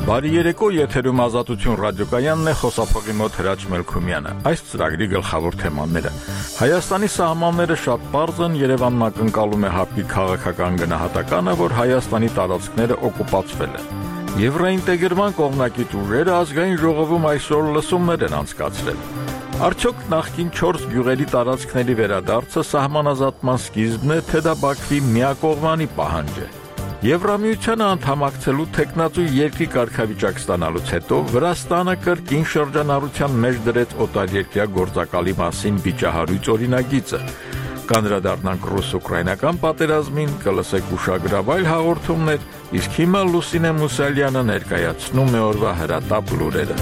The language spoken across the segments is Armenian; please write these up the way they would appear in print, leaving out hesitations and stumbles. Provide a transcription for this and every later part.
Բարի երեկո, եթերում Ազատություն ռադիոկայանն է, խոսափողի մոտ Հրաչ Մելքումյանը։ Այս ծրագրի գլխավոր թեմաները. Հայաստանի սահմանները շատ պարզ են, Երևանն ակնկալում է ՀԱՊ-ի քաղաքական գնահատականը, որ Հայաստանի տարածքները օկուպացվել են։ Եվրոինտեգրման կողմնակից ուժերը ազգային ժողովում այսօր լսումներ են անցկացրել։ Արդյոք նախկին 4 գյուղերի տարածքների վերադարձը սահմանազատման սկիզբն է, թե դա Բաքվի միակողմանի պահանջ է։ Եվրամիությանը անդամակցելու թեկնածու երկրի կարգավիճակ ստանալուց հետո Վրաստանը կրկին շրջանառության մեջ դրեց օտարերկրյա գործակալի մասին վիճահարույց օրինագիծը։ Կանդրադառնանք ռուս-ուկրաինական պատերազմին, կլսեք ուշագրավայր հաղորդումներ, իսկ հիմա Լուսինե Մուսալյանը ներկայացնում է օրվա հրատապ լուրերը։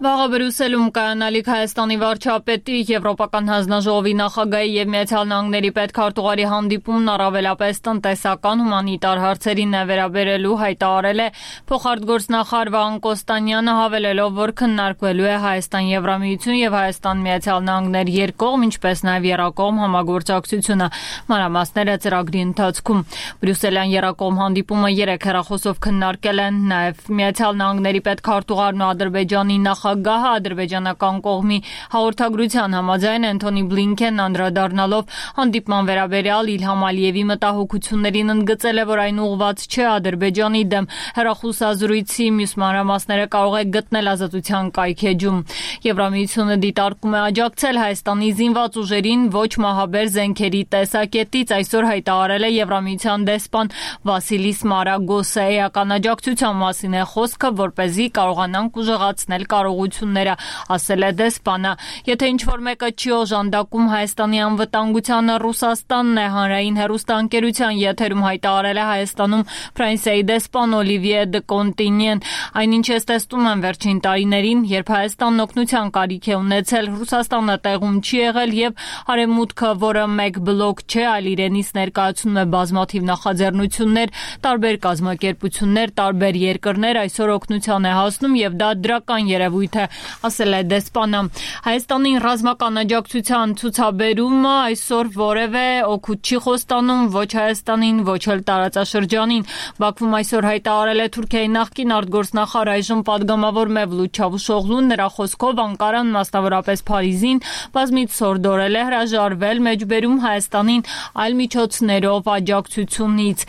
Վաղը Բրյուսելում կայանալիք Հայաստանի վարչապետի, Եվրոպական հանձնաժողովի նախագահի եւ Միացյալ Նահանգների պետքարտուղարի հանդիպումն առավելապես տնտեսական հումանիտար հարցերին է վերաբերելու, հայտարարել է փոխարտգործնախարար Վահան Կոստանյանը, հավելելով, որ քննարկվելու է Հայաստան-Եվրամիություն եւ Հայաստան-Միացյալ Նահանգներ երկկողմ, ինչպես նաեւ եռակողմ համագործակցությունը։ Մանրամասները ծրագրի ընթացքում։ Բրյուսելյան եռակողմ հանդիպումը 3 հեռախոսով քննարկել են նաեւ Միացյալ Նահանգների պետքարտուղարն ու Ադրբեջանի նախագահը, ադրբեջանական կողմի հաղորդագրության համաձայն Անթոնի Բլինքենն անդրադառնալով հանդիպման վերաբերյալ Իլհամ Ալիևի մտահոգություններին ընդգծել է, որ այն ուղղված չէ Ադրբեջանի դեմ։ Հեռախոսազրույցի մյուս մանրամասները կարող է գտնել Ազատության կայքեջում։ Եվրամիությունը դիտարկում է աջակցել Հայաստանի զինված ուժերին ոչ մահաբեր զենքերի տեսակետից, այսօր հայտարարել է Եվրամիության դեսպան Վասիլիս Մարագոսը։ Էական աջակցության մասին է խոսքը, որպեսզի կարողանանք ուժեղացնել կարողությունները, ասել է դեսպանը։ Եթե ինչ-որ մեկը չի օժանդակում Հայաստանի անվտանգությանը, Ռուսաստանն է, հանրային հեռուստաընկերության եթերում հայտարարել է Հայաստանում Ֆրանսիայի դեսպան Օլիվիե դը Կոնտինյեն։ Այնինչ ես տեսնում եմ վերջին տարիներին, երբ Հայաստանն օգնության կարիք է ունեցել, Ռուսաստանը տեղում չի եղել եւ Արևմուտքը, որը մեկ բլոկ չէ, այլ իրենից ներկայացնում է բազմաթիվ նախաձեռնություններ, տարբեր կազմակերպություններ, տարբեր երկրներ, այսօր օգնության է հասնում եւ դա դրական երևույթ է, ասել է դեսպանը։ Հայաստանին ռազմական աջակցության ցուցաբերումը այսօր որևէ օգուտ չի խոստանում ոչ Հայաստանին, ոչ էլ տարածաշրջանին։ Բաքվում այսօր հայտարարել է Թուրքիայի նախկին արտգործնախարար, այժմ падգամավոր Մևլութ Չավուշօղլուն, նրա խոսքով Անկարան, մասնավորապես Փարիզին, բազմից սորդորել է հրաժարվել մեջբերում Հայաստանին այլ միջոցներով աջակցությունից։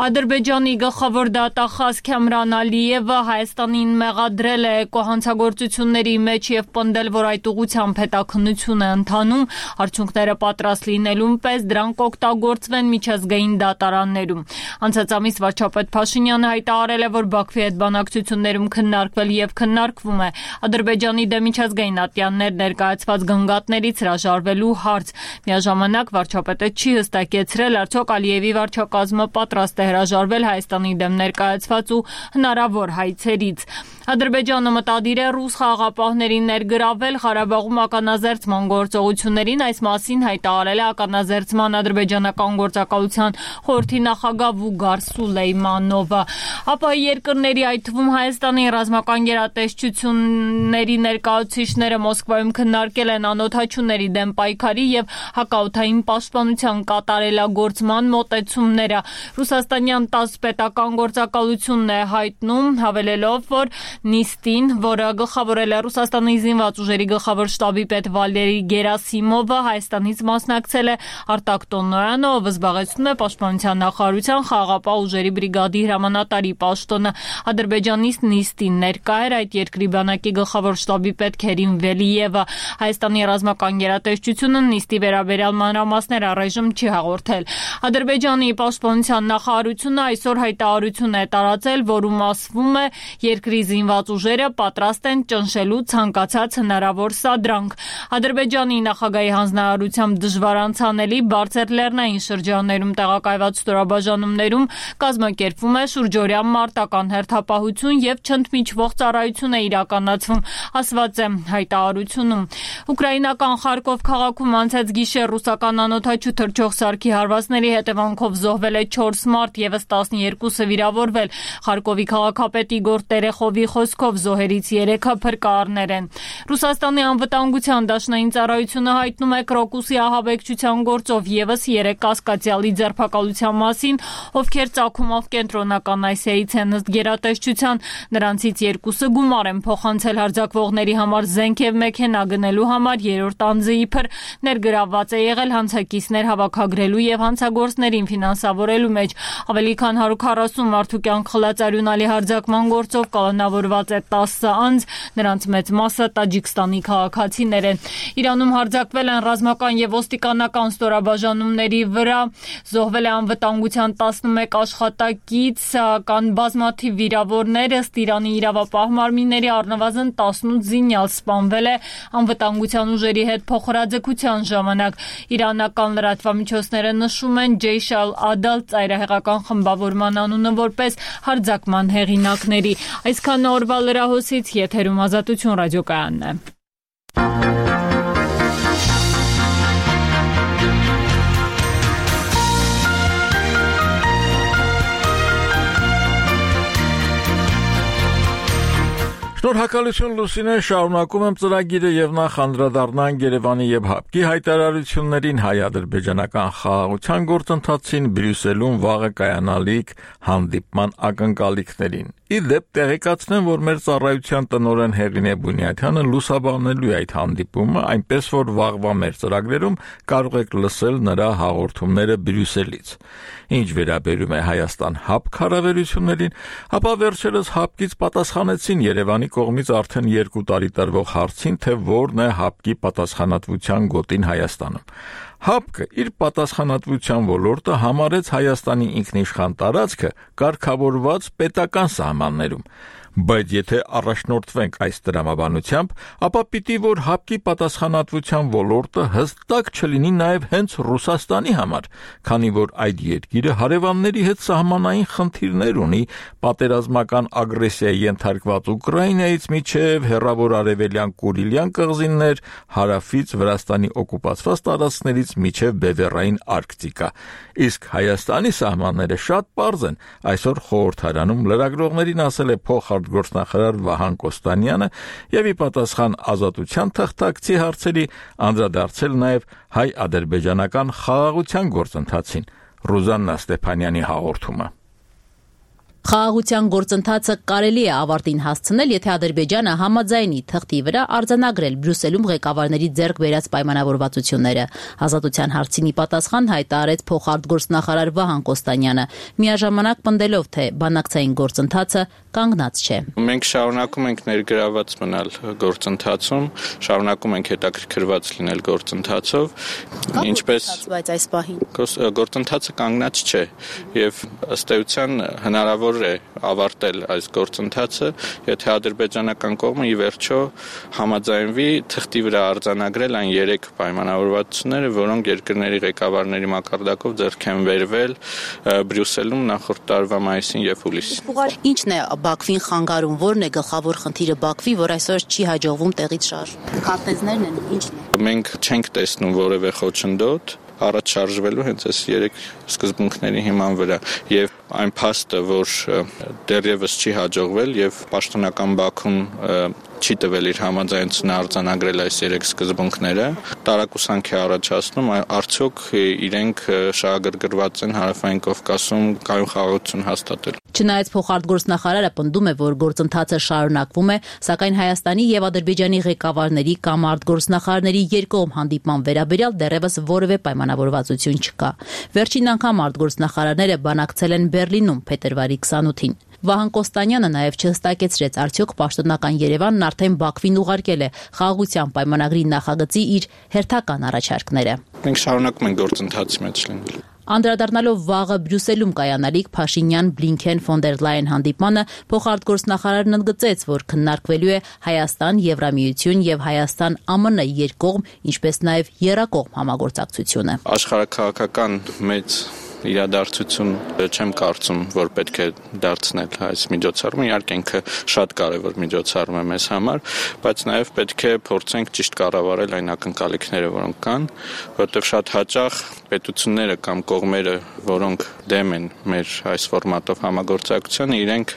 Ադրբեջանի գլխավոր դատախազ Քամրան Ալիևը Հայաստանին մեղադրել է հանցագործությունների մեջ եւ պնդել, որ այդ ուղղությամբ հետաքննություն է ընթանում, արդյունքները պատրաստ լինելուն պես դրանք օգտագործվեն միջազգային դատարաններում։ Անցած ամիս վարչապետ Փաշինյանը հայտարարել է, որ Բաքվի հետ բանակցություններում քննարկվել եւ քննարկվում է Ադրբեջանի դեմ միջազգային ատյաններ ներկայացված գնգատներից հրաժարվելու հարց։ Միաժամանակ վարչապետը չի հստակեցրել, արդյոք Ալիևի վարչակազմը պատրաստ է հրաժարվել Հայաստանի դեմ ներկայացված ու հնարավոր հայցերից։ Ադրբեջանը մտադիր է ռուս խաղաղապահներին ներգրավել Ղարաբաղում ականազերծման գործողություններին, այս մասին հայտարարել է ականազերծման ադրբեջանական գործակալության խորհրդի նախագահ Վուգար Սուլեյմանովը։ Ապա երկրների, այդ թվում Հայաստանի ռազմական գերատեսչությունների ներկայացուցիչները Մոսկվայում քննարկել են անօդաչուների դեմ պայքարի եւ հակաօդային պաշտպանության կատարելագործման մոտեցումները։ Ռուսաստանյան ՏԱՍՍ պետական գործակալությունն է հայտնում, հավելելով, որ նիստին, որը գլխավորել է Ռուսաստանի զինված ուժերի գլխավոր շտաբի պետ Վալերի Գերասիմովը, Հայաստանից մասնակցել է Արտակ Տոնոյանը, ով զբաղեցնում է Պաշտպանության նախարարության խաղաղապահ ուժերի բրիգադի հրամանատարի պաշտոնը։ Ադրբեջանից նիստին ներկա էր այդ երկրի բանակի գլխավոր շտաբի պետ Քերիմ Վելիևը։ Հայաստանի ռազմական գերատեսչությունը նիստի վերաբերյալ մանրամասներ առայժմ չի հաղորդել։ Ադրբեջանի պաշտպանության նախարարությունը այսօր հայտարարություն է տարածել, որում ասվում է երկրի զինված ուժերը պատրաստ են ճնշելու ցանկացած հնարավոր սադրանք։ Ադրբեջանի նախագահի հանձնարարությամբ դժվար անցանելի բարձր լեռնային շրջաններում տեղակայված ստորաբաժանումներում կազմակերպվում է շուրջօրյա մարտական հերթապահություն եւ չընդմիջվող ծառայություն է իրականացվում, ասված է հայտարարությունում։ Ուկրաինական Խարկով քաղաքում անցած գիշեր ռուսական անօդաչու թռչող սարքի հարվածների հետևանքով զոհվել է 4 մարդ, եւս 12-ը վիրավորվել։ Խարկովի քաղաքապետ Իգոր Տերեխովի խոսքով զոհերից 3-ը փրկարարներ են։ Ռուսաստանի անվտանգության դաշնային ծառայությունը հայտնում է Կրոկուսի ահաբեկչության գործով եւս 3 կասկածյալի ձերբակալության մասին, ովքեր ծագումով կենտրոնական Ասիայից են ըստ գերատեսչության։ Նրանցից 2-ը գումար են փոխանցել հարձակվողների համար զենք եւ մեքենա գնելու համար, երրորդ անձը իբր ներգրավված է եղել հանցակիցներ հավաքագրելու եւ հանցագործներին ֆինանսավորելու մեջ։ Ավելի քան 140 մարդու կյանք խլած արյունալի հարձակման գործով կալանավորված է 10 անձ, նրանց մեծ մասը Տաջիկստանի քաղաքացիներ են։ Իրանում հարձակվել են ռազմական եւ ոստիկանական ստորաբաժանումների վրա, զոհվել է անվտանգության 11 աշխատակից, կան բազմաթիվ վիրավորներ, ըստ Իրանի իրավապահ մարմինների առնվազն 18 զինյալ սպանվել է անվտանգության ուժերի հետ փոխհրաձգության ժամանակ։ Իրանական լրատվամիջոցները նշում են Ջեյշ ալ-Ադալ ծայրահեղական խմբավորման անունը որպես հարձակման հեղինակների։ Այսքան օրվա լրահոսից եթերում Ազատություն ռադիոկայանն է։ Շնորհակալություն Լուսինե, շարունակում եմ ծրագիրը եւ նախ անդրադառնանք Երևանի եւ ՀԱՊԿ-ի հայտարարություններին հայ-ադրբեջանական խաղաղության գործընթացին Բրյուսելում վաղը կայանալիք հանդիպման ակնկալիքներին։ Իդեպ տեղեկացնեմ, որ մեր ծառայության տնօրեն Հեղինե Բունյաթյանը լուսաբանելու է այդ հանդիպումը, այնպես որ վաղվա մեր ծրագրերում կարող եք լսել նրա հաղորդումները Բրյուսելից։ Ինչ վերաբերում է Հայաստան-ՀԱՊԿ հարաբերություններին, ապա վերջերս ՀԱՊԿ-ից պատասխանեցին Երևանի կողմից արդեն 2 տարի տրվող հարցին, թե որն է ՀԱՊԿ-ի պատասխանատվության գոտին Հայաստանում։ ՀԱՊԿ-ը իր պատասխանատվության ոլորտը համարեց Հայաստանի ինքնիշխան տարածքը կարգավորված պետական սահմաններում, բայց եթե առաջնորդվենք այս տրամաբանությամբ, ապա պիտի որ ՀԱՊԿ-ի պատասխանատվության ոլորտը հստակ չլինի նաև հենց Ռուսաստանի համար, քանի որ այդ երկիրը հարևանների հետ սահմանային խնդիրներ ունի, պատերազմական ագրեսիայի ենթարկված Ուկրաինայից մինչև հեռավոր արևելյան Կուրիլյան կղզիներ, հարավից Վրաստանի օկուպացված տարածքներից մինչև Բևեռային Արկտիկա։ Իսկ Հայաստանի սահմանները շատ պարզ են, այսօր խորհրդարանում լրագրողներին ասել է փոխարտգործնախարար Վահան Կոստանյանը եւ ի պատասխան Ազատության թղթակցի հարցերի անդրադարձել նաեւ հայ-ադրբեջանական խաղաղության գործընթացին։ Ռուզաննա Ստեփանյանի հաղորդումը։ Խաղաղության գործընթացը կարելի է ավարտին հասցնել, եթե Ադրբեջանը համաձայնի թղթի վրա արձանագրել Բրյուսելում ղեկավարների ձեռք բերած պայմանավորվածությունները։ Ազատության հարցին ի պատասխան հայտարարեց փոխարտգործնախարար Վահան Կոստանյանը, միաժամանակ պնդելով, թե բանակցային գործընթացը կանգնած չէ։ Մենք շարունակում ենք ներգրաված մնալ գործընթացում, շարունակում ենք հետաքրքրված լինել գործընթացով, ինչպես բայց այս պահին գործընթացը կանգնած չէ եւ ըստ էության հնարավոր է ավարտել այս գործընթացը, եթե ադրբեջանական կողմը ի վերջո համաձայնվի թղթի վրա արձանագրել այն 3 պայմանավորվածությունները, որոնք երկրների ղեկավարների մակարդակով ձեռք են բերվել Բրյուսելում նախորդ տարվա մայիսին եւ հուլիսին։ Ինչն է Բաքվին խանգարում, որն է գլխավոր խնդիրը Բաքվի, որ այսօր չի հաջողվում տեղից շարժել։ Քարտեզներն են, ինչն է։ Մենք չենք տեսնում որևէ խոչընդոտ առաջ շարժվելու հենց այս 3 սկզբունքների հիման վրա եւ այն փաստը, որ դեռևս չի հաջողվել եւ պաշտոնական Բաքուն չի տվել իր համաձայնությունը արձանագրել այս 3 սկզբունքները, տարակուսանք է առաջացնում, արդյոք իրենք շահագրգռված են Հարավային Կովկասում կայուն խաղաղություն հաստատել։ Չնայած փոխարտգործնախարարը պնդում է, որ գործընթացը շարունակվում է, սակայն Հայաստանի եւ Ադրբեջանի ղեկավարների կամ արտգործնախարարների երկկողմ հանդիպման վերաբերյալ դեռևս որևէ պայմանավորվածություն չկա։ Վերջին անգամ արտգործնախարարները բանակցել են Բեռլինում փետրվարի 28-ին։ Վահան Կոստանյանը նաև չհստակեցրեց, արդյոք պաշտոնական Երևանն արդեն Բաքվին ուղարկել է խաղաղության պայմանագրի նախագծի իր հերթական առաջարկները։ Մենք շարունակում ենք գործընթացի մեջ լինել։ Անդրադառնալով վաղը Բրյուսելում կայանալիք Փաշինյան-Բլինքեն ֆոն դեր Լայն հանդիպմանը, փոխարտգործնախարարն ընդգծեց, որ քննարկվելու է Հայաստան, Եվրամիություն եւ Հայաստան-ԱՄՆ երկկողմ, ինչպես նաեւ եռակողմ համագործակցությունը։ Աշխարհաքաղաքական մեծ իրադարձություն չեմ կարծում, որ պետք է դարձնել այս միջոցառումը, իհարկե ինքը շատ կարևոր միջոցառում է մեզ համար, բայց նաև պետք է փորձենք ճիշտ կառավարել այն ակնկալիքները, որոնք կան, որովհետև շատ հաճախ պետությունները կամ կողմերը, որոնք դեմ են մեր այս ֆորմատով համագործակցությանը, իրենք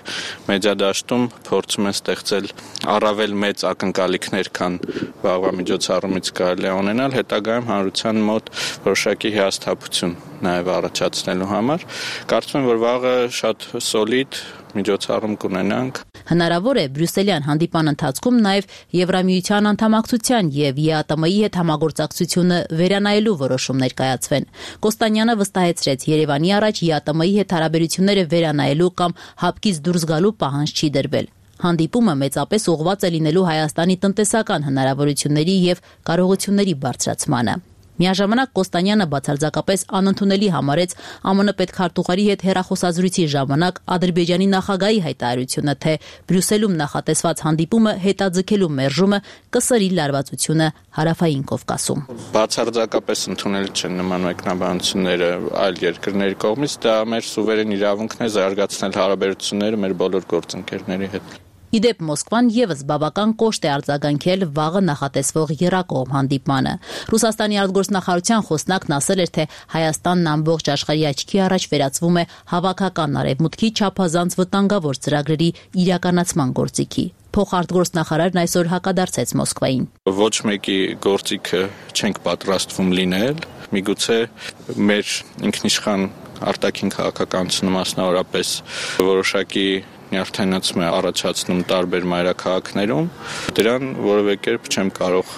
մեջադաշտում փորձում են ստեղծել առավել մեծ ակնկալիքներ, քան վաղվա միջոցառումից կարելի է ունենալ, հետագայում հանրության մոտ որոշակի հիասթափություն նաև առաջացնելու համար։ Կարծում եմ, որ վաղը շատ սոլիդ միջոցառում կունենանք։ Հնարավոր է բրյուսելյան հանդիպան ընթացքում նաև Եվրամիության անդամակցության եւ ԵԱՏՄ-ի հետ համագործակցությունը վերանայելու որոշումներ կայացվեն։ Կոստանյանը վստահեցրեց, Երևանի առաջ ԵԱՏՄ-ի հետ հարաբերությունները վերանայելու կամ հապկից դուրս գալու պահանջ չի դրվել։ Հանդիպումը մեծապես ուղղված է լինելու Հայաստանի տնտեսական հնարավորությունների եւ կարողությունների բարձրացմանը։ Միաժամանակ Կոստանյանը բացարձակապես անընդունելի համարեց ԱՄՆ պետքարտուղարի հետ հեռախոսազրույցի ժամանակ Ադրբեջանի նախագահի հայտարարությունը, թե Բրյուսելում նախատեսված հանդիպումը հետաձգելու մերժումը կսրի լարվածությունը Հարավային Կովկասում։ Բացարձակապես ընդունելի չեն նման մեկնաբանությունները այլ երկրների կողմից, դա մեր սուվերեն իրավունքն է զարգացնել հարաբերությունները մեր բոլոր գործընկերների հետ։ Իդեպ Մոսկվան եւս բավական կոշտ է արձագանքել վաղը նախատեսվող եռակողմ հանդիպմանը։ Ռուսաստանի արտգործնախարարության խոսնակն ասել էր, թե Հայաստանն ամբողջ աշխարհի աչքի առաջ վերածվում է հավաքական արևմուտքի չափազանց վտանգավոր ծրագրերի իրականացման գործիքի։ Փոխարտգործնախարարն այսօր հակադարձեց Մոսկվային։ Ոչ մեկի գործիքը չենք պատրաստվում լինել, միգուցե մեր ինքնիշխան արտաքին քաղաքականությունը մասնավորապես որոշակի նյարդայնացում է առաջացնում տարբեր մայրաքաղաքներում, դրան որևէ կերպ չեմ կարող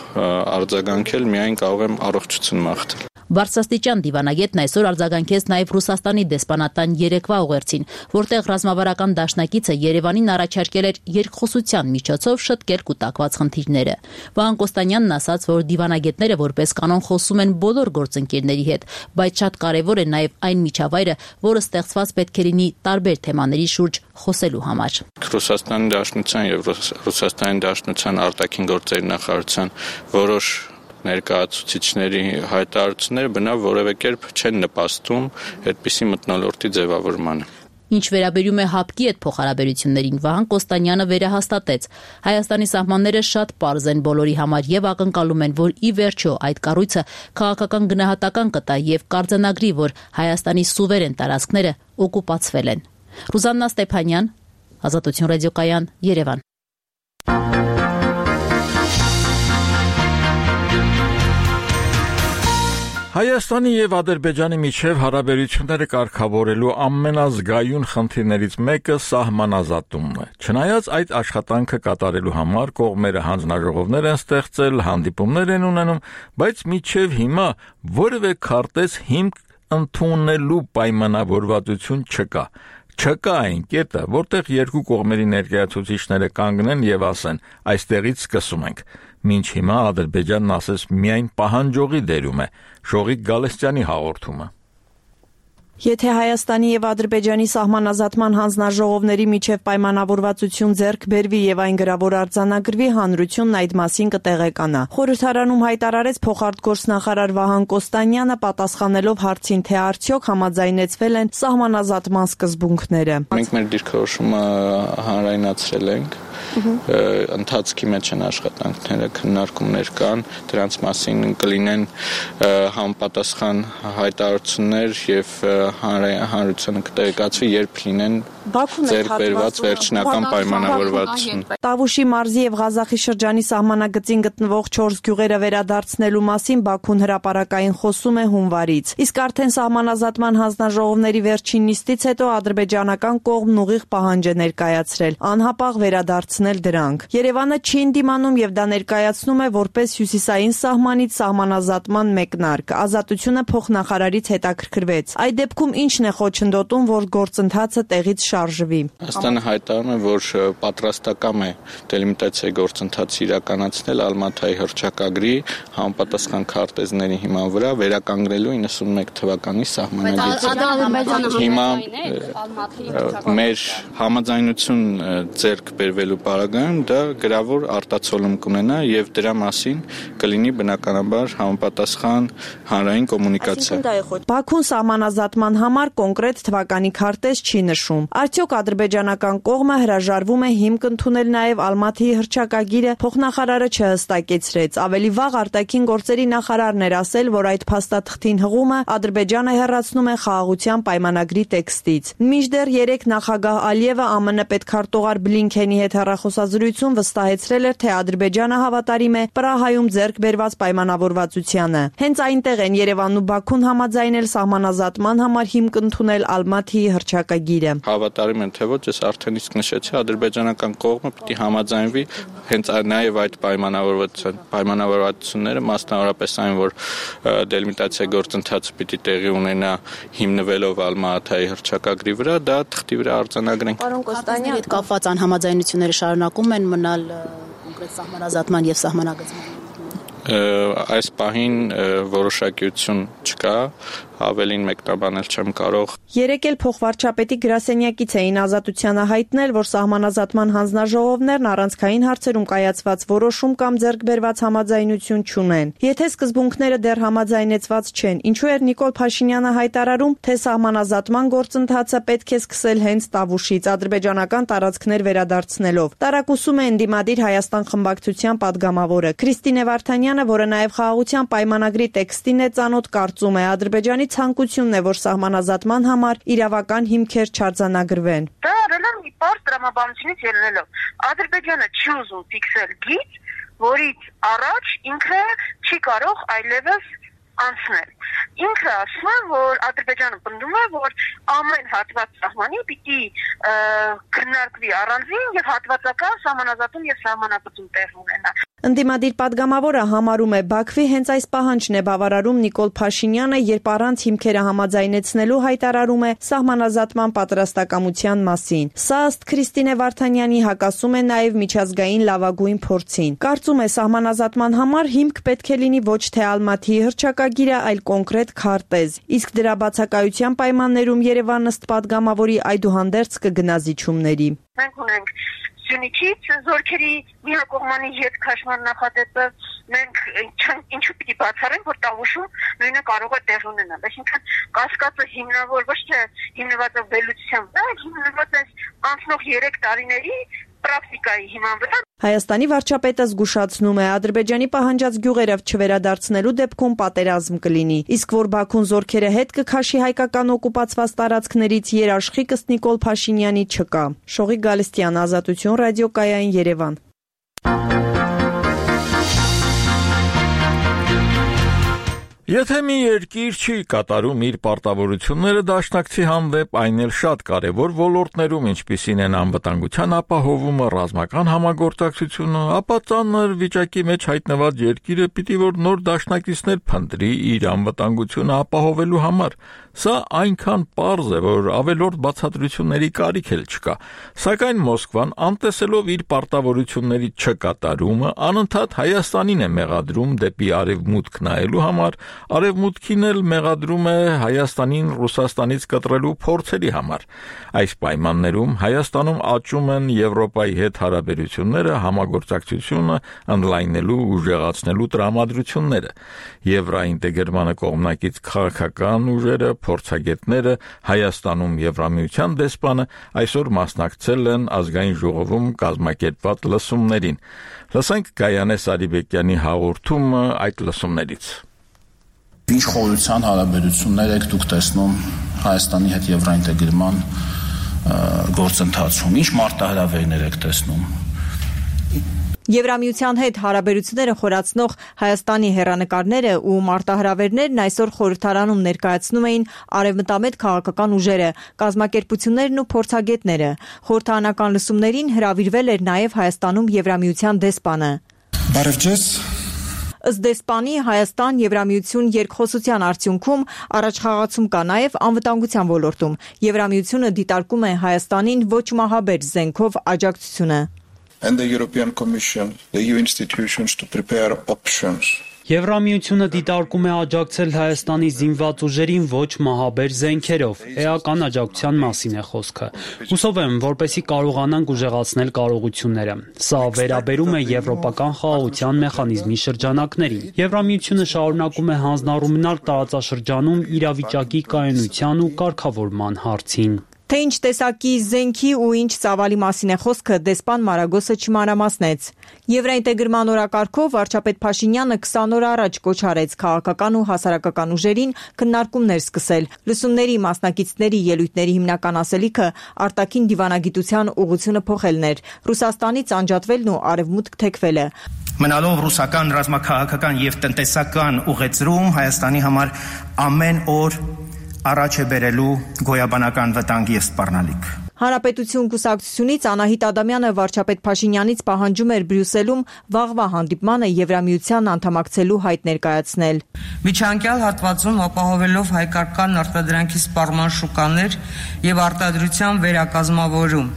արձագանքել, միայն կարող եմ առողջություն մաղթել։ Բարձրաստիճան դիվանագետն այսօր արձագանքեց նաև Ռուսաստանի դեսպանատան երեկվա ուղերձին, որտեղ ռազմավարական դաշնակիցը Երևանին առաջարկել էր երկխոսության միջոցով շտկել կուտակված խնդիրները։ Վահան Կոստանյանն ասաց, որ դիվանագետները որպես կանոն խոսում են բոլոր գործընկերների հետ, բայց շատ կարևոր է նաև այն միջավայրը, որը ստեղծված պետք է լինի տարբեր թեմաների շուրջ խոսելու համար։ Ռուսաստանի Դաշնության եւ Ռուսաստանի Դաշնության արտաքին գործերի նախարարության որոշ ներկայացուցիչների հայտարարությունները բնավ որևէ կերպ չեն նպաստում այդպիսի մթնոլորտի ձևավորմանը։ Ինչ վերաբերում է հապկի հետ փոխհարաբերություններին, Վահան Կոստանյանը վերահաստատեց. Հայաստանի սահմանները շատ պարզ են բոլորի համար եւ ակնկալում են, որ ի վերջո այդ կառույցը քաղաքական գնահատական կտա եւ կարձանագրի, որ Հայաստանի սուվերեն տարածքները օկուպացվել են։ Ռուզաննա Ստեփանյան, Ազատություն ռադիոկայան, Երևան։ Հայաստանի եւ Ադրբեջանի միջև հարաբերությունները կարգավորելու ամենազգայուն խնդիրներից մեկը սահմանազատումն է։ Չնայած այդ աշխատանքը կատարելու համար կողմերը հանձնաժողովներ են ստեղծել, հանդիպումներ են ունենում, բայց մինչև հիմա որևէ քարտեզ հիմք ընդունելու պայմանավորվածություն չկա։ Չկա այն կետը, որտեղ երկու կողմերի ներկայացուցիչները կանգնեն եւ ասեն. այստեղից սկսում ենք։ Մինչ հիմա Ադրբեջանն ասես միայն պահանջողի դերում է, Շողիկ Գալստյանի հաղորդումը։ Եթե Հայաստանի եւ Ադրբեջանի սահմանազատման հանձնաժողովների միջև պայմանավորվածություն ձեռք բերվի եւ այն գրավոր արձանագրվի, հանրությունն այդ մասին կտեղեկանա։ Խորհրդարանում հայտարարեց փոխարտգործնախարար Վահան Կոստանյանը, պատասխանելով հարցին, թե արդյոք համաձայնեցվել են սահմանազատման սկզբունքները։ Մենք մեր դիրքորոշումը հանրայնացրել ենք։ Ընթացքի մեջ են աշխատանքները, քննարկումներ կան, դրանց մասին կլինեն համապատասխան հայտարարություններ եւ հանրությանը կտեղեկացվի, երբ լինեն ձեռք բերված վերջնական պայմանավորվածություն։ Տավուշի մարզի եւ Ղազախի շրջանի սահմանագծին գտնվող 4 գյուղերը վերադարձնելու մասին Բաքուն հրապարակային խոսում է հունվարից։ Իսկ արդեն սահմանազատման հանձնաժողովների վերջին նիստից հետո ադրբեջանական կողմն ուղիղ պահանջ է ներկայացրել անհապաղ վերադարձնել դրանք։ Երևանը չի ընդդիմանում եւ դա ներկայացնում է որպես հյուսիսային սահմանից սահմանազատման մեկնարկ։ Ազատությունը փոխնախարարից հետաքրքրվեց։ Այդ դեպքում ինչն է խոչընդոտում, որ գործընթացը տեղից շարժվի։ Հայաստանը հայտարարում է, որ պատրաստական է դելիմիտացիայի գործընթացը իրականացնել Ալմաթայի հռչակագրի համապատասխան քարտեզների հիման վրա վերականգնելու 91 թվականի սահմանագծը։ Հիմա մեր համաձայնություն ձեռք բերվելու պարագայում դա գրավոր արտացոլում կունենա եւ դրա մասին կլինի բնականաբար համապատասխան հանրային կոմունիկացիա։ Բաքուն սահմանազատման համար կոնկրետ թվականի քարտեզ չի նշում։ Արդյոք ադրբեջանական կողմը հրաժարվում է հիմք ընդունել նաև Ալմաթիի հռչակագիրը, փոխնախարարը չհստակեցրեց։ Ավելի վաղ արտաքին գործերի նախարարն էր ասել, որ այդ փաստաթղթին հղումը Ադրբեջանը հեռացնում է խաղաղության պայմանագրի տեքստից։ Մինչդեռ երեկ նախագահ Ալիևը ԱՄՆ պետքարտուղար Բլինքենի հետ հեռախոսազրույցում վստահեցրել էր, թե Ադրբեջանը հավատարիմ է Պրահայում ձեռք բերված պայմանավորվածությանը։ Հենց այնտեղ են Երևանն ու Բաքուն համաձայնել սահմանազատման համար հիմք ընդունել Ալմաթիի հռչակագիրը։ Հավատարիմ են թե ոչ, ես արդեն իսկ նշեցի, ադրբեջանական կողմը պիտի համաձայնվի հենց նաև այդ պայմանավորվածությունները, մասնավորապես այն, որ դելիմիտացիայի գործընթացը պիտի տեղի ունենա հիմնվելով Ալմաթայի հռչակագրի վրա, դա թղթի վրա արձանագրենք։ Պարոն Կոստանյան, հետ կապված անհամաձայնությունները շարունակում են մնալ կոնկրետ սահմանազատման եւ սահմանագծման։ Այս պահին որոշակիություն չկա, ավելին մեկնաբանել չեմ կարող։ Երեկ էլ փոխվարչապետի գրասենյակից էին Ազատությանը հայտնել, որ սահմանազատման հանձնաժողովներն առանցքային հարցերում կայացված որոշում կամ ձեռք բերված համաձայնություն չունեն։ Եթե սկզբունքները դեռ համաձայնեցված չեն, ինչու էր Նիկոլ Փաշինյանը հայտարարում, թե սահմանազատման գործընթացը պետք է սկսել հենց Տավուշից, ադրբեջանական տարածքներ վերադարձնելով։ Տարակուսում է ընդդիմադիր Հայաստան խմբակցության падգամավորը Քրիստինե Վարդանյանը, որը նաև խաղաղության պայմանագրի տեքստին է ծանոթ, կարծում է Ադրբեջանի ցանկությունն է, որ սահմանազատման համար իրավական հիմքեր չարձանագրվեն։ Դա արել են մի պարզ տրամաբանությունից ելնելով։ Ադրբեջանը չի ուզում ֆիքսել գիծ, որից առաջ ինքը չի կարող այլևս անցնել։ Ինքը ասում է, որ Ադրբեջանը պնդում է, որ ամեն հատված սահմանի պիտի քննարկվի առանձին եւ հատվածական սահմանազատում եւ սահմանագծում տեղ ունենա։ Ընդդիմադիր падգամավորը համարում է Բաքվի հենց այս պահանջն է բավարարում Նիկոլ Փաշինյանը, երբ առանց հիմքերը համաձայնեցնելու հայտարարում է սահմանազատման պատրաստակամության մասին։ Սա ըստ Քրիստինե Վարդանյանի հակասում է նաև միջազգային լավագույն փորձին։ Կարծում է սահմանազատման համար հիմք պետք է լինի ոչ թե Ալմաթիի հռչակագիրը, այլ կոնկրետ քարտեզ։ Իսկ դրա բացակայության պայմաններում Երևանն ըստ падգամավորի այդուհանդերձ կգնա զիջումների։ Մենք ունենք Սյունիքից զորքերի միակողմանի հետ քաշման նախադեպը, մենք ինչու պիտի բացառենք, որ Տավուշում նույնը կարող է տեղ ունենալ։ Այսինքն կասկածը հիմնավոր ոչ թե հիմնված է վերլուծության վրա, այլ հիմնված է անցնող 3 տարիների պրակտիկայի հիման վրա։ Հայաստանի վարչապետը զգուշացնում է, Ադրբեջանի պահանջած գյուղերը չվերադարձնելու դեպքում պատերազմ կլինի, իսկ որ Բաքուն զորքերը հետ կքաշի հայկական օկուպացված տարածքներից երաշխիք ըստ Նիկոլ Փաշինյանի չկա։ Շողիկ Գալստյան, Ազատություն, ռադիոկայան, Երևան։ Եթե մի երկիր չի կատարում իր պարտավորությունները դաշնակցի հանդեպ, այն էլ շատ կարևոր ոլորտներում, ինչպիսին են անվտանգության ապահովումը, ռազմական համագործակցությունը, ապա ծանր վիճակի մեջ հայտնված երկիրը պիտի որ նոր դաշնակիցներ փնտրի իր անվտանգությունը ապահովելու համար։ Սա այնքան պարզ է, որ ավելորդ բացատրությունների կարիք էլ չկա, սակայն Մոսկվան անտեսելով իր պարտավորությունների չկատարումը, անընդհատ Հայաստանին է մեղադրում դեպի արևմուտք նայելու համար, արևմուտքին էլ մեղադրում է Հայաստանին Ռուսաստանից կտրելու փորձերի համար։ Այս պայմաններում Հայաստանում աճում են Եվրոպայի հետ հարաբերությունները, համագործակցությունը ընդլայնելու, ուժեղացնելու տրամադրությունները։ Եվրոինտեգրմանը կողմնակից քաղաքական ուժերը, փորձագետները, Հայաստանում Եվրամիության դեսպանը այսօր մասնակցել են ազգային ժողովում կազմակերպված լսումներին։ Լսենք Գայանե Սարիբեկյանի հաղորդումը այդ լսումներից։ Ինչ խորության հարաբերություններ եք դուք տեսնում Հայաստանի հետ եվրոինտեգրման գործընթացում, ինչ մարտահրավերներ եք տեսնում։ Եվրամիության հետ հարաբերությունները խորացնող Հայաստանի հեռանկարները ու մարտահրավերներն այսօր խորհրդարանում ներկայացնում էին արևմտամետ քաղաքական ուժերը, կազմակերպություններն ու փորձագետները։ Խորհրդարանական լսումներին հրավիրվել էր նաև Հայաստանում Եվրամիության դեսպանը։ Բարև ձեզ։ Ըստ դեսպանի, Հայաստան-Եվրամիություն երկխոսության արդյունքում առաջխաղացում կա նաև անվտանգության ոլորտում։ Եվրամիությունը դիտարկում է Հայաստանին ոչ մահաբեր զենքով աջակցությունը։ And the European Commission, the EU institutions to prepare options. Եվրամիությունը դիտարկում է աջակցել Հայաստանի զինված ուժերին ոչ մահաբեր զենքերով։ Էական աջակցության մասին է խոսքը։ Հուսով եմ, որպեսզի կարողանանք ուժեղացնել կարողությունները։ Սա վերաբերում է եվրոպական խաղաղության մեխանիզմի շրջանակներին։ Եվրամիությունը շարունակում է հանձնառու մնալ տարածաշրջանում իրավիճակի կայունության ու կարգավորման հարցին։ Թե ինչ տեսակի զենքի ու ինչ ծավալի մասին է խոսքը, դեսպան Մարագոսը չմանրամասնեց։ Եվրաինտեգրման օրակարգով վարչապետ Փաշինյանը 20 օր առաջ կոչ արեց քաղաքական ու հասարակական ուժերին քննարկումներ սկսել։ Լսումների մասնակիցների ելույթների հիմնական ասելիքը արտաքին դիվանագիտության ուղղությունը փոխելն էր, Ռուսաստանից անջատվելն ու արևմուտք թեքվելը։ Մնալով ռուսական ռազմաքաղաքական եւ տնտեսական ուղեցրում Հայաստանի համար ամեն օր առաջ է բերելու գոյաբանական վտանգի եւ սպառնալիք։ Հանրապետություն կուսակցությունից Անահիտ Ադամյանը վարչապետ Փաշինյանից պահանջում էր Բրյուսելում վաղվա հանդիպմանը Եվրամիության անդամակցելու հայտ ներկայացնել։ Միջանկյալ հատվածում ապահովելով հայկական արտադրանքի սպառման շուկաներ եւ արտադրության վերակազմավորում։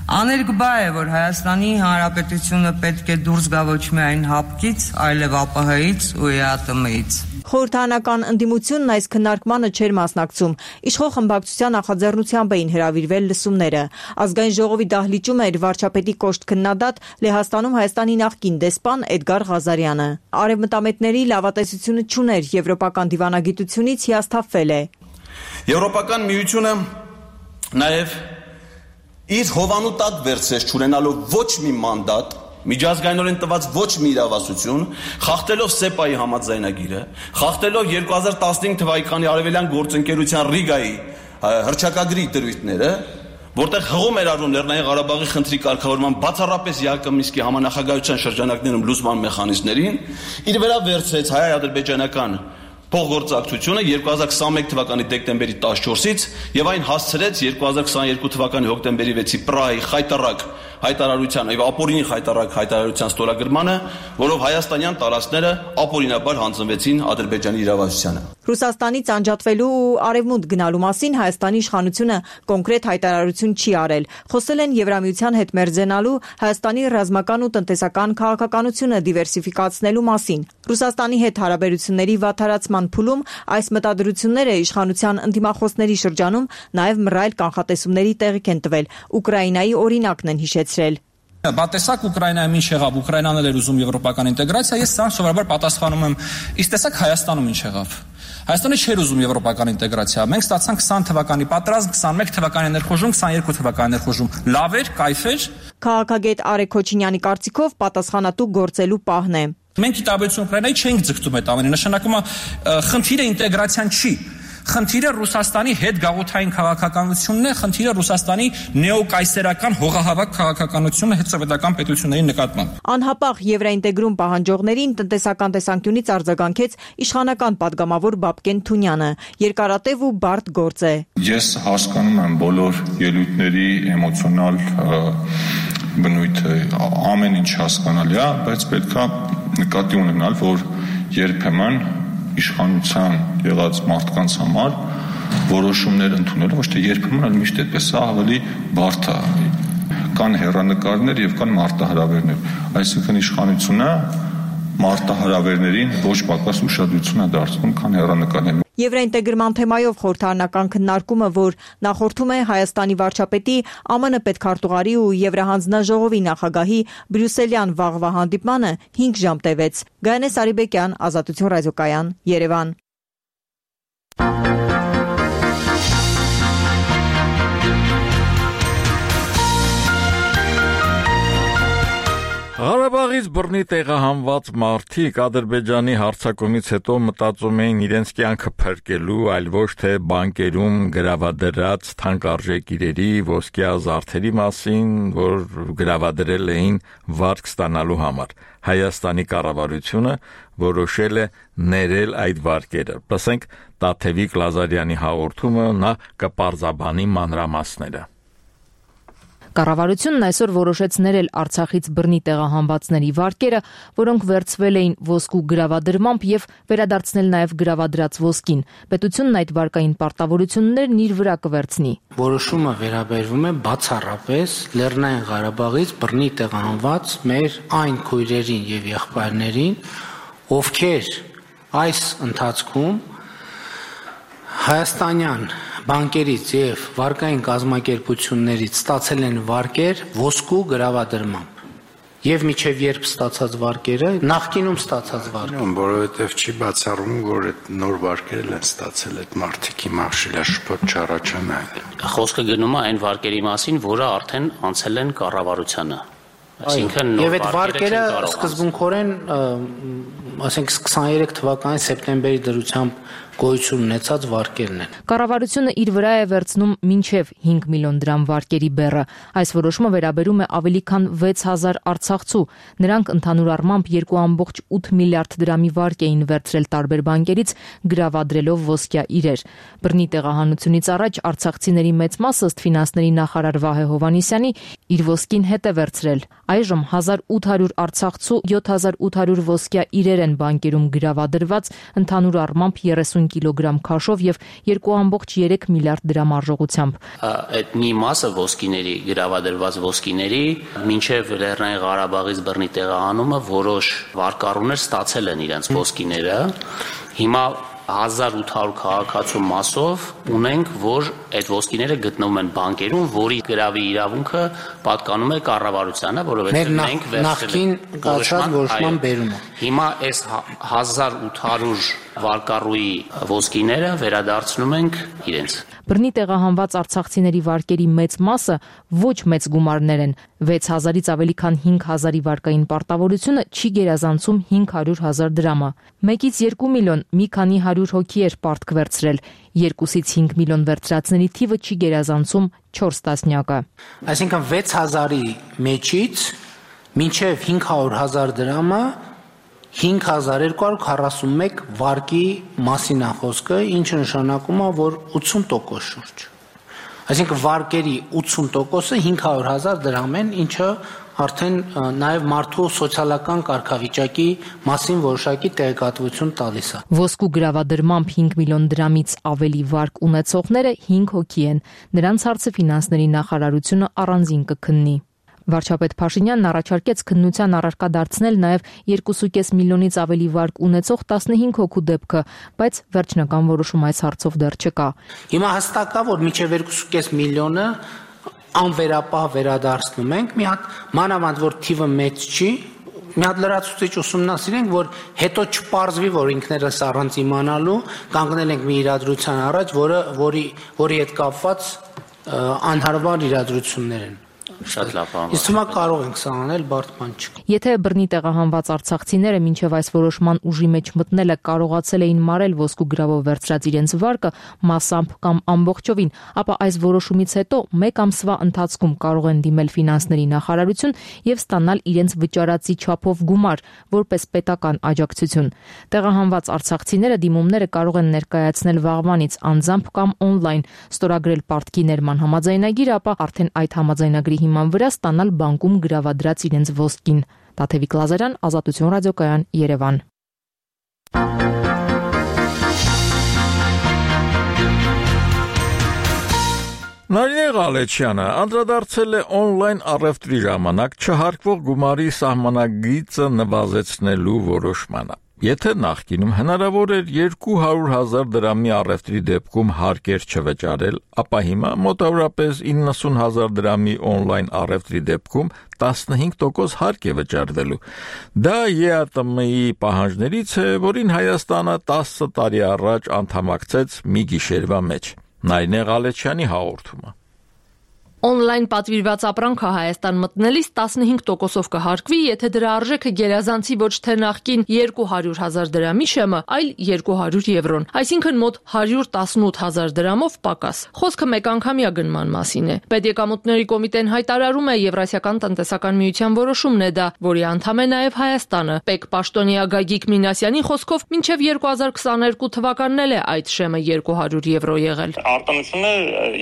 Աներկբա է, որ Հայաստանի Հանրապետությունը պետք է դուրս գա ոչ միայն հապկից, այլև ԱՊՀ-ից ու ԵԱՏՄ-ից։ Խորհրդարանական ընդդիմությունն այս քննարկմանը չէր մասնակցում։ Իշխող խմբակցության նախաձեռնությամբ էին հրավիրվել լսումները։ Ազգային ժողովի դահլիճում էր վարչապետի կոշտ քննադատ Լեհաստանում Հայաստանի նախկին դեսպան Էդգար Ղազարյանը։ Արևմտամետների լավատեսությունը չուներ, եվրոպական դիվանագիտությունից հիասթափվել է։ Եվրոպական միությունը նաև իր հովանու տակ վերցրեց չունենալով ոչ մի մանդատ, միջազգայինորեն տված ոչ մի իրավասություն, խախտելով ՍԵՊԱ-ի համաձայնագիրը, խախտելով 2015 թվականի արևելյան գործընկերության Ռիգայի հռչակագրի դրույթները, որտեղ հղում էր արվում Լեռնային Ղարաբաղի խնդրի կարգավորման բացառապես ԵԱԿ Մինսկի համանախագահության շրջանակներում լուծման մեխանիզմներին, իր վրա վերցրեց հայ-ադրբեջանական փոխգործակցությունը 2021 թվականի դեկտեմբերի 14-ից եւ այն հասցրեց 2022 թվականի հոկտեմբերի 6-ի Պրահայի խայտառակ հայտարարության եւ ապօրինի խայտառակ հայտարարության ստորագրմանը, որով հայաստանյան տարածքները ապօրինաբար հանձնվեցին Ադրբեջանի իրավասությանը։ Ռուսաստանից անջատվելու ու արևմուտք գնալու մասին Հայաստանի իշխանությունը կոնկրետ հայտարարություն չի արել։ Խոսել են Եվրամիության հետ մերձենալու, Հայաստանի ռազմական ու տնտեսական քաղաքականությունը դիվերսիֆիկացնելու մասին։ Ռուսաստանի հետ հարաբերությունների վատթարացման փուլում այս մտադրությունները իշխանության ընդդիմախոսների շրջանում նաև մռայլ կանխատեսումների տեղիք են տվել։ Ուկրաինայի օրինակն են հիշեցրել։ Բատեսակ Ուկրաինայում ինչ եղավ, Ուկրաինան էր ուզում եվրոպական ինտեգրացիա, ես սա սովորաբար պատասխանում եմ, իսկ տեսակ Հայաստանում ինչ եղավ։ Հայաստանը չէր ուզում եվրոպական ինտեգրացիա։ Մենք ստացանք 20 թվականի պատրաստ, 21 թվականի ներխուժում, 22 թվականի ներխուժում։ Լավ էր, կայֆ էր։ Քաղաքագետ Արեգ Քոչինյանի կարծիքով պատասխանատու գործելու պահն է։ Մենք ի տարբերություն Ուկրաինայի չենք ձգտում այդ ամենը, նշանակում է խնդիրը ինտեգրացիան չի։ Խնդիրը Ռուսաստանի հետ գաղութային քաղաքականությունն է, խնդիրը Ռուսաստանի նեոկայսերական հողահավաք քաղաքականությունն է հետսովետական պետությունների նկատմամբ։ Անհապաղ եվրաինտեգրում պահանջողներին տնտեսական տեսանկյունից արձագանքեց իշխանական падգամավոր Բաբկեն Թունյանը։ Երկարատև ու բարդ գործ է։ Ես հասկանում եմ բոլոր ելույթների էմոցիոնալ բնույթը, ամեն ինչ հասկանալի է, բայց պետք է նկատի ունենալ, որ երբեմն իշխանության եղած մարդկանց համար որոշումներ ընդունելը ոչ թե երբեմն, այլ միշտ այդպես է ավելի բարդ է։ Կան հեռանկարներ եւ կան մարտահրավերներ, այսինքն իշխանությունը մարտահրավերներին ոչ պակաս ուշադրություն է դարձնում, քան հեռանկարներին։ Եվրաինտեգրման թեմայով խորհրդարանական քննարկումը, որ նախորդում է Հայաստանի վարչապետի, ԱՄՆ պետքարտուղարի ու Եվրահանձնաժողովի նախագահի Բրյուսելյան վաղվա հանդիպմանը 5 ժամ տևեց։ Գայանե Սարիբեկյան, Ազատություն ռադիոկայան, Երևան։ Ղարաբաղից բռնի տեղահանված մարդիկ Ադրբեջանի հարձակումից հետո մտածում էին իրենց կյանքը փրկելու, այլ ոչ թե բանկերում գրավադրած թանկարժեք իրերի, ոսկյա զարդերի մասին, որ գրավադրել էին վարձ ստանալու համար։ Հայաստանի կառավարությունը որոշել է ներել այդ վարկերը։ Լսենք Տաթևիկ Լազարյանի հաղորդումը, նա կպարզաբանի մանրամասները։ Կառավարությունն այսօր որոշեց ներել Արցախից բռնի տեղահանվածների վարկերը, որոնք վերցվել էին ոսկու գրավադրմամբ եւ վերադարձնել նաեւ գրավադրած ոսկին։ Պետությունն այդ վարկային պարտավորություններն իր վրա կվերցնի։ Որոշումը վերաբերվում է բացառապես Լեռնային Ղարաբաղից բռնի տեղահանված մեր այն քույրերին եւ եղբայրներին, ովքեր այս ընթացքում հայաստանյան բանկերից եւ վարկային կազմակերպություններից ստացել են վարկեր ոսկու գրավադրմամբ։ Եվ միջև երբ ստացած վարկերը, նախկինում ստացած վարկերը, որովհետև չի բացառում, որ այդ նոր վարկերն են ստացել այդ մարդիկ հիմա շիլաշփոթ չառաջանալ։ Խոսքը գնում է այն վարկերի մասին, որը արդեն անցել են կառավարությանը։ Այսինքն եւ այդ վարկերը սկզբունքորեն, ասենք 23 թվականի սեպտեմբերի դրությամբ գոյություն ունեցած վարկերն են։ Կառավարությունը իր վրա է վերցնում մինչև 5 միլիոն դրամ վարկերի բեռը։ Այս որոշումը վերաբերում է ավելի քան 6000 արցախցու։ Նրանք ընդհանուր առմամբ 2.8 միլիարդ դրամի վարկ էին վերցրել տարբեր բանկերից, գրավադրելով ոսկյա իրեր։ Բռնի տեղահանությունից առաջ արցախցիների մեծ մասը ըստ ֆինանսների նախարար Վահե Հովհաննիսյանի իր ոսկին հետ է վերցրել։ Այժմ 1800 արցախցու 7800 ոսկյա իրեր են բանկերում գրավադրված, ընդհանուր առմամբ 30 կիլոգրամ քաշով եւ 2.3 միլիարդ դրամ արժողությամբ։ Այդ մի մասը ոսկիների, գրավադրված ոսկիների, մինչև Լեռնային Ղարաբաղից բռնի տեղահանումը որոշ վարկառուներ ստացել են իրենց ոսկիները։ Հիմա 1800 քաղաքացու մասով ունենք, որ այդ ոսկիները գտնվում են բանկերում, որի գրավի իրավունքը պատկանում է կառավարությանը, որովհետև մենք նախքին կացած որոշման բերումը։ Հիմա այս 1800 վարկառուի ոսկիները վերադարձնում ենք իրենց։ Բռնի տեղահանված արցախցիների վարկերի մեծ մասը ոչ մեծ գումարներ են։ 6000-ից ավելի քան 5000-ի վարկային պարտավորությունը չի գերազանցում 500,000 դրամը։ 1-ից 2 միլիոն մի քանի 100 հոգի էր պարտք վերցրել։ 2-ից 5 միլիոն վերցրածների թիվը չի գերազանցում 4 տասնյակը։ Այսինքն 6000-ի մեջից մինչև 500,000 դրամը 5241 վարկի մասին է խոսքը, ինչը նշանակում է, որ 80% շուրջ։ Այսինքն վարկերի 80%-ը 500,000 դրամ են, ինչը արդեն նաև մարդու սոցիալական կարգավիճակի մասին որոշակի տեղեկատվություն տալիս է։ Ոսկու գրավադրմամբ 5 միլիոն դրամից ավելի վարկ ունեցողները 5 հոգի են։ Նրանց հարցը ֆինանսների նախարարությունը առանձին կքննի։ Վարչապետ Փաշինյանն առաջարկեց քննության առարկա դարձնել նաև 2.5 միլիոնից ավելի վարկ ունեցող 15 հոգու դեպքը, բայց վերջնական որոշում այս հարցով դեռ չկա։ Հիմա հստակ է, որ մինչև 2.5 միլիոնը անվերապահ վերադարձնում ենք, մի հատ մանավանդ որ թիվը մեծ չի, մի հատ լրացուցիչ ուսումնասիրենք, որ հետո չպարզվի, որ ինքներս առանց իմանալու կանգնել ենք մի իրադրության առաջ, որի հետ կապված անհարմար իրադրություններ են։ Շատ լավ բան։ Իսկ հիմա կարող ենք սա անել, բարդ բան չի։ Եթե բռնի տեղահանված արցախցիները մինչև այս որոշման ուժի մեջ մտնելը կարողացել էին մարել ոսկու գրավով վերցրած իրենց վարկը մասամբ կամ ամբողջովին, ապա այս որոշումից հետո 1 ամսվա ընթացքում կարող են դիմել ֆինանսների նախարարություն եւ ստանալ իրենց վճարածի չափով գումար, որպես պետական աջակցություն։ Տեղահանված արցախցիները դիմումները կարող են ներկայացնել վաղվանից անձամբ կամ on-line, ստորագրել պարտքի ներման համաձայնագիր, ապա արդեն այդ համաձայնագրի հիման վրա ստանալ բանկում գրավադրած իրենց ոսկին։ Տաթևիկ Լազարյան, Ազատություն ռադիոկայան, Երևան։ Նարինե Ղալեչյանը անդրադարձել է on-line առևտրի ժամանակ չհարկվող գումարի սահմանագիծը նվազեցնելու որոշմանը։ Եթե նախկինում հնարավոր էր 200,000 դրամի առևտրի դեպքում հարկեր չվճարել, ապա հիմա մոտավորապես 90,000 դրամի on-line առևտրի դեպքում 15% հարկ է վճարվելու։ Դա ԵԱՏՄ-ի պահանջներից է, որին Հայաստանը 10 տարի առաջ անդամակցեց մի գիշերվա մեջ։ Նարինե Ղալեչյանի հաղորդումը։ On-line պատվիրված ապրանքը Հայաստան մտնելիս 15%-ով կհարկվի, եթե դրա արժեքը գերազանցի ոչ թե նախկին 200,000 դրամի շեմը, այլ 200 եվրոն, այսինքն մոտ 118,000 դրամով պակաս։ Խոսքը մեկանգամյա գնման մասին է։ Պետեկամուտների կոմիտեն հայտարարում է Եվրասիական տնտեսական միության որոշումն է դա, որի անդամ է նաև Հայաստանը։ Պետ պաշտոնյա Գագիկ Մինասյանի խոսքով մինչև 2022 թվականն էլ է այդ շեմը 200 եվրո եղել։ Արտոնությունը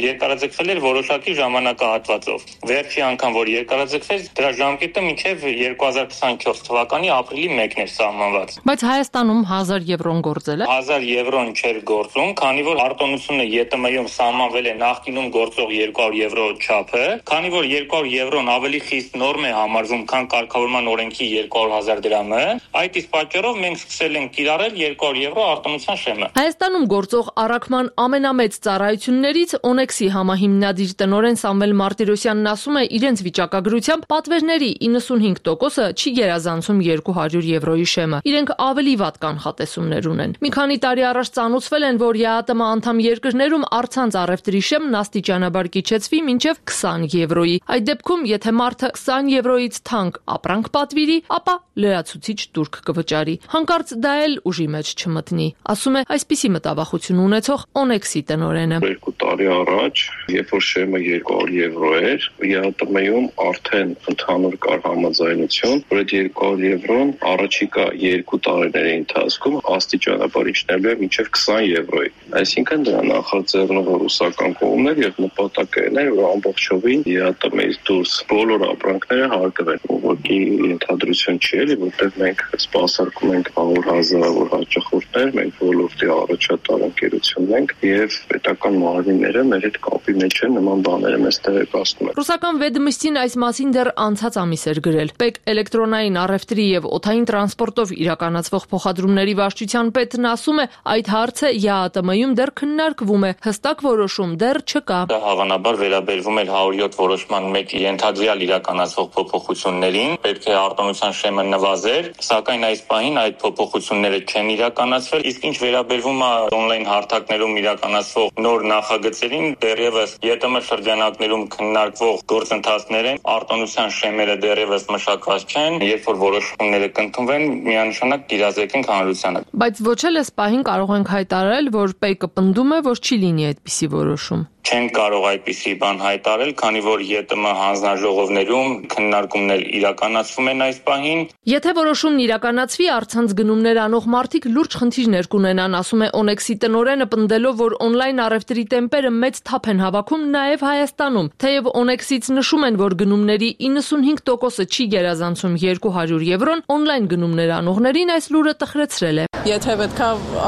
երկարաձգվել էր որոշակի ժամանակ ժամանակահատվածով։ Վերջի անգամ որ երկարաձգվեց, դրա ժամկետը մինչև 2024 թվականի ապրիլի 1-ն էր սահմանված։ Բայց Հայաստանում 1000 եվրոն գործել է։ 1000 եվրոն չէր գործում, քանի որ արտոնությունը ԵՏՄ-ում սահմանվել է նախկինում գործող 200 եվրո չափը, քանի որ 200 եվրոն ավելի խիստ նորմ է համարվում, քան կարգավորման օրենքի 200,000 դրամը, այդ իսկ պատճառով մենք սկսել ենք կիրառել 200 եվրո արտոնության շեմը։ Հայաստանում գործող առաքման ամենամեծ ծառայություններից Օնեքսի համահիմնադիր տնօրեն Սամվել Մարտիրոսյանն ասում է, իրենց վիճակագրությամբ պատվերների 95%-ը չի գերազանցում 200 եվրոյի շեմը։ Իրենք ավելի վատ կանխատեսումներ ունեն։ Մի քանի տարի առաջ ծանոթվել են, որ ԵԱՏՄ անդամ երկրներում առցանց առևտրի շեմն աստիճանաբար կիջեցվի մինչև 20 եվրոյի։ Այդ դեպքում, եթե մարդը 20 եվրոյից թանկ ապրանք պատվիրի, ապա լրացուցիչ տուրք կվճարի։ Հանկարծ դա էլ ուժի մեջ չմտնի, ասում է այսպիսի մտավախություն ունեցող Օնեքսի տնօրենը։ 2 տարի առաջ, երբ որ շեմը 200 եվրո էր, ԵԱՏՄ-ում արդեն ընդհանուր կար համաձայնություն, որ այդ 200 եվրոն առաջիկա 2 տարիների ընթացքում աստիճանաբար իջնելու է մինչև 20 եվրոյի։ Այսինքն դրա նախաձեռնող ռուսական կողմն էր եւ նպատակն էր, որ ամբողջովին ԵԱՏՄ-ից դուրս բոլոր ապրանքները հարկվեն։ Ուղղակի ընդհանրություն չի էլի, որտեղ մենք սպասարկում ենք 100,000 հաճախորդներ, մենք ոլորտի առաջատար ընկերությունն ենք եւ պետական մարմինները մեր հետ կապի մեջ են, նման բաները մեզ տեղեկացնում են։ Ռուսական Վեդմստին այս մասին դեռ անցած ամիս էր գրել։ ՊԵԿ էլեկտրոնային առևտրի եւ օդային տրանսպորտով իրականացվող փոխադրումների վարչության պետն ասում է, այդ հարցը ԵԱՏՄ-ում դեռ քննարկվում է, հստակ որոշում դեռ չկա։ Դա հավանաբար վերաբերվում էր 107 որոշման մեջ ենթադրյալ իրականացվող փոփոխություններին, պետք է արտոնության շեմը նվազեր, սակայն այս պահին այդ փոփոխությունները չեն իրականացվել, իսկ ինչ վերաբերվում է on-line հարթակներում իրականացվող նոր նախագծերին, դեռևս ԵՏՄ շրջանակներում քննարկվող գործընթացներ են, արտոնության շեմերը դեռևս մշակված չեն, երբ որ որոշումները կընդունվեն, միանշանակ կիրազեկենք հանրությանը։ Բայց ոչ էլ այս պահին կարող ենք հայտարարել, որ ՊԵԿ-ը պնդում է, որ չի լինի այդպիսի որոշում։ Չեն կարող այդպիսի բան հայտարարել, քանի որ ԵՏՄ հանձնաժողովներում քննարկումներ իրականացվում են այս պահին։ Եթե որոշումն իրականացվի, առցանց գնումներ անող մարդիկ լուրջ խնդիրներ կունենան, ասում է Օնեքսի տնօրենը, պնդելով, որ on-line առևտրի տեմպերը մեծ թափ են հավաքում նաև Հայաստանում։ Թեև Օնեքսից նշում են, որ գնումների 95%-ը չի գերազանցում 200 եվրոն, on-line գնումներ անողներին այս լուրը տխրեցրել է։ Եթե պետքա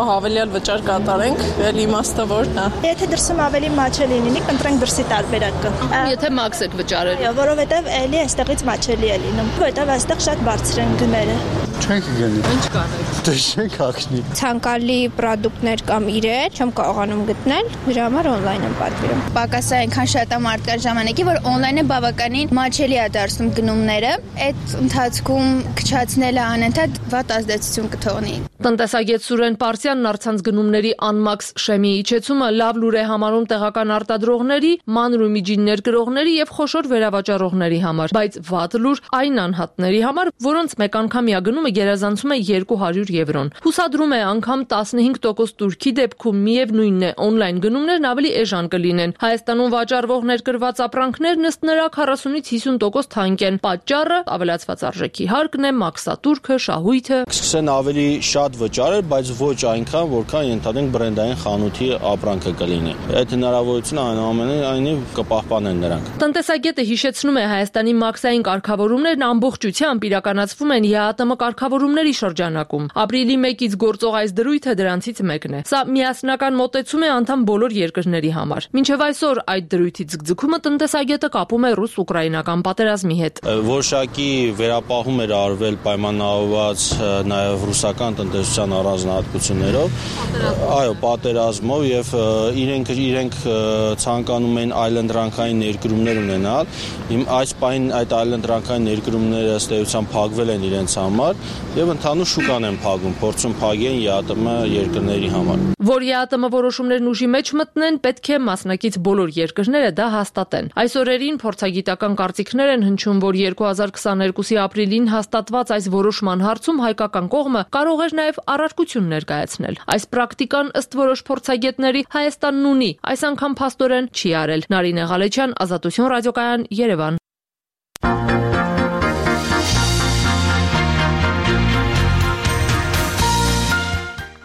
հավելյալ վճար կատարենք, էլ իմաստը որն է։ Եթե դրսում ավելի մաչելի լինի, կընտրենք դրսի տարբերակը։ Եթե մաքս եք վճարել։ Որովհետև էլի այստեղից մաչելի է լինում, որովհետև այստեղ շատ բարձր են գները։ Չենք գնի։ Ինչ կանենք։ Դե չենք հագնի։ Ցանկալի պրոդուկտներ կամ իրեր չեմ կարողանում գտնել, դրա համար on-line եմ պատվիրում։ Պակասը այնքան շատ է մարդկան ժամանակի, որ on-line-ը բավականին մաչելի է դարձնում գնումները, այդ ընթացքում քչացնելը անընդհատ վատ ազդեցություն կթողնի։ Տնտեսագետ Սուրեն Պարսյանն առցանց գնումների անմաքս շեմի իջեցումը լավ լուր է համարում տեղական արտադրողների, մանր ու միջիններ կրողների եւ խոշոր վերավաճառողների համար, բայց վատ լուր այն անհատների համար, որոնց մեկ անգամյա գնումը գերազանցում է 200 եվրոն։ Հուսադրում է անգամ 15% տուրքի դեպքում միևնույնն է on-line գնումներն ավելի էժան կլինեն։ Հայաստանում վաճառվող ներկրված ապրանքներն ըստ նրա 40-ից 50% թանկ են։ Պատճառը ավելացված արժեքի հարկն է, մաքսատուրքը, շահույթը։ Սկսեն ավելի շատ վճարել, բայց ոչ այնքան, որքան ենթադրենք բրենդային խանութի ապրանքը կլինի։ Այդ հնարավորությունը այնուամենայնիվ կպահպանեն նրանք։ Տնտեսագետը հիշեցնում է, Հայաստանի մաքսային կարգավորումներն ամբողջությամբ իրականացվում են ԵԱՏՄ կարգավորումների շրջանակում։ Ապրիլի 1-ից գործող այս դրույթը դրանցից մեկն է։ Սա միասնական մոտեցում է անդամ բոլոր երկրների համար։ Մինչև այսօր այդ դրույթի ձգձգումը տնտեսագետը կապում է ռուս-ուկրաինական պատերազմի հետ։ Որոշակի վերապահում էր արվել պայմանավորված նաև ռուսական տնտեսության առանձնահատկություններով, այո, պատերազմով եւ իրենք ցանկանում են այլընտրանքային ներդրումներ ունենալ։ Այս պահին այդ այլընտրանքային ներդրումները ըստ էության փակվել են իրենց համար եւ ընդհանուր շուկան են փակում, փորձում փակեն ԵԱՏՄ երկրների համար։ Որ ԵԱՏՄ որոշումներն ուժի մեջ մտնեն, պետք է մասնակից բոլոր երկրները դա հաստատեն։ Այս օրերին փորձագիտական կարծիքներ են հնչում, որ 2022-ի ապրիլին հաստատված այս որոշման հարցում հայկական կողմը կարող էր նաև առարկություն ներկայացնել։ Այս պրակտիկան ըստ որոշ փորձագետների Հայաստանն ունի, այս անգամ փաստորեն չի արել։ Նարինե Ղալեչյան, Ազատություն ռադիոկայան, Երևան։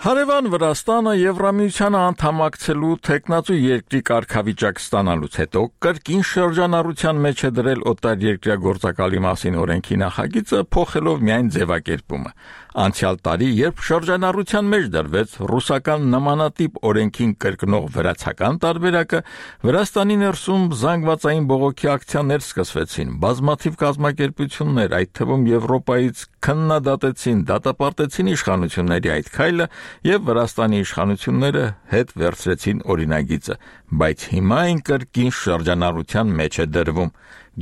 Հարևան Վրաստանը Եվրամիությանը անդամակցելու թեկնածու երկրի կարգավիճակ ստանալուց հետո կրկին շրջանառության մեջ է դրել օտարերկրյա գործակալի մասին օրենքի նախագիծը, փոխելով միայն ձևակերպումը։ Անցյալ տարի, երբ շրջանառության մեջ դրվեց ռուսական նմանատիպ օրենքին կրկնող վրացական տարբերակը, Վրաստանի ներսում զանգվածային բողոքի ակցիաներ սկսվեցին։ Բազմաթիվ կազմակերպություններ, այդ թվում Եվրոպայից, քննադատեցին, դատապարտեցին իշխանությունների այդ քայլը եւ Վրաստանի իշխանությունները հետ վերցրեցին օրինագիծը, բայց հիմա այն կրկին շրջանառության մեջ է դրվում։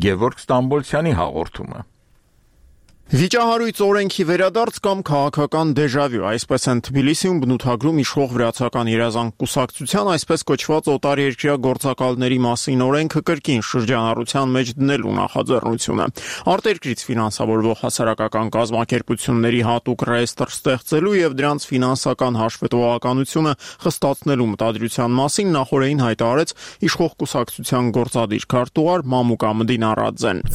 Գևորգ Ստամբոլցյանի հաղորդումը։ Վիճահարույց օրենքի վերադարձ կամ քաղաքական դեժավյու, այսպես են Թբիլիսիում բնութագրում իշխող վրացական երազանք կուսակցության այսպես կոչված օտարերկրյա գործակալների մասին օրենքը կրկին շրջանառության մեջ դնելու նախաձեռնությունը։ Արտերկրից ֆինանսավորվող հասարակական կազմակերպությունների հատուկ ռեեստր ստեղծելու եւ դրանց ֆինանսական հաշվետվողականությունը խստացնելու մտադրության մասին նախորդին հայտարարեց իշխող կուսակցության գործադիր քարտուղար Մամուկա Մդինարաձեն։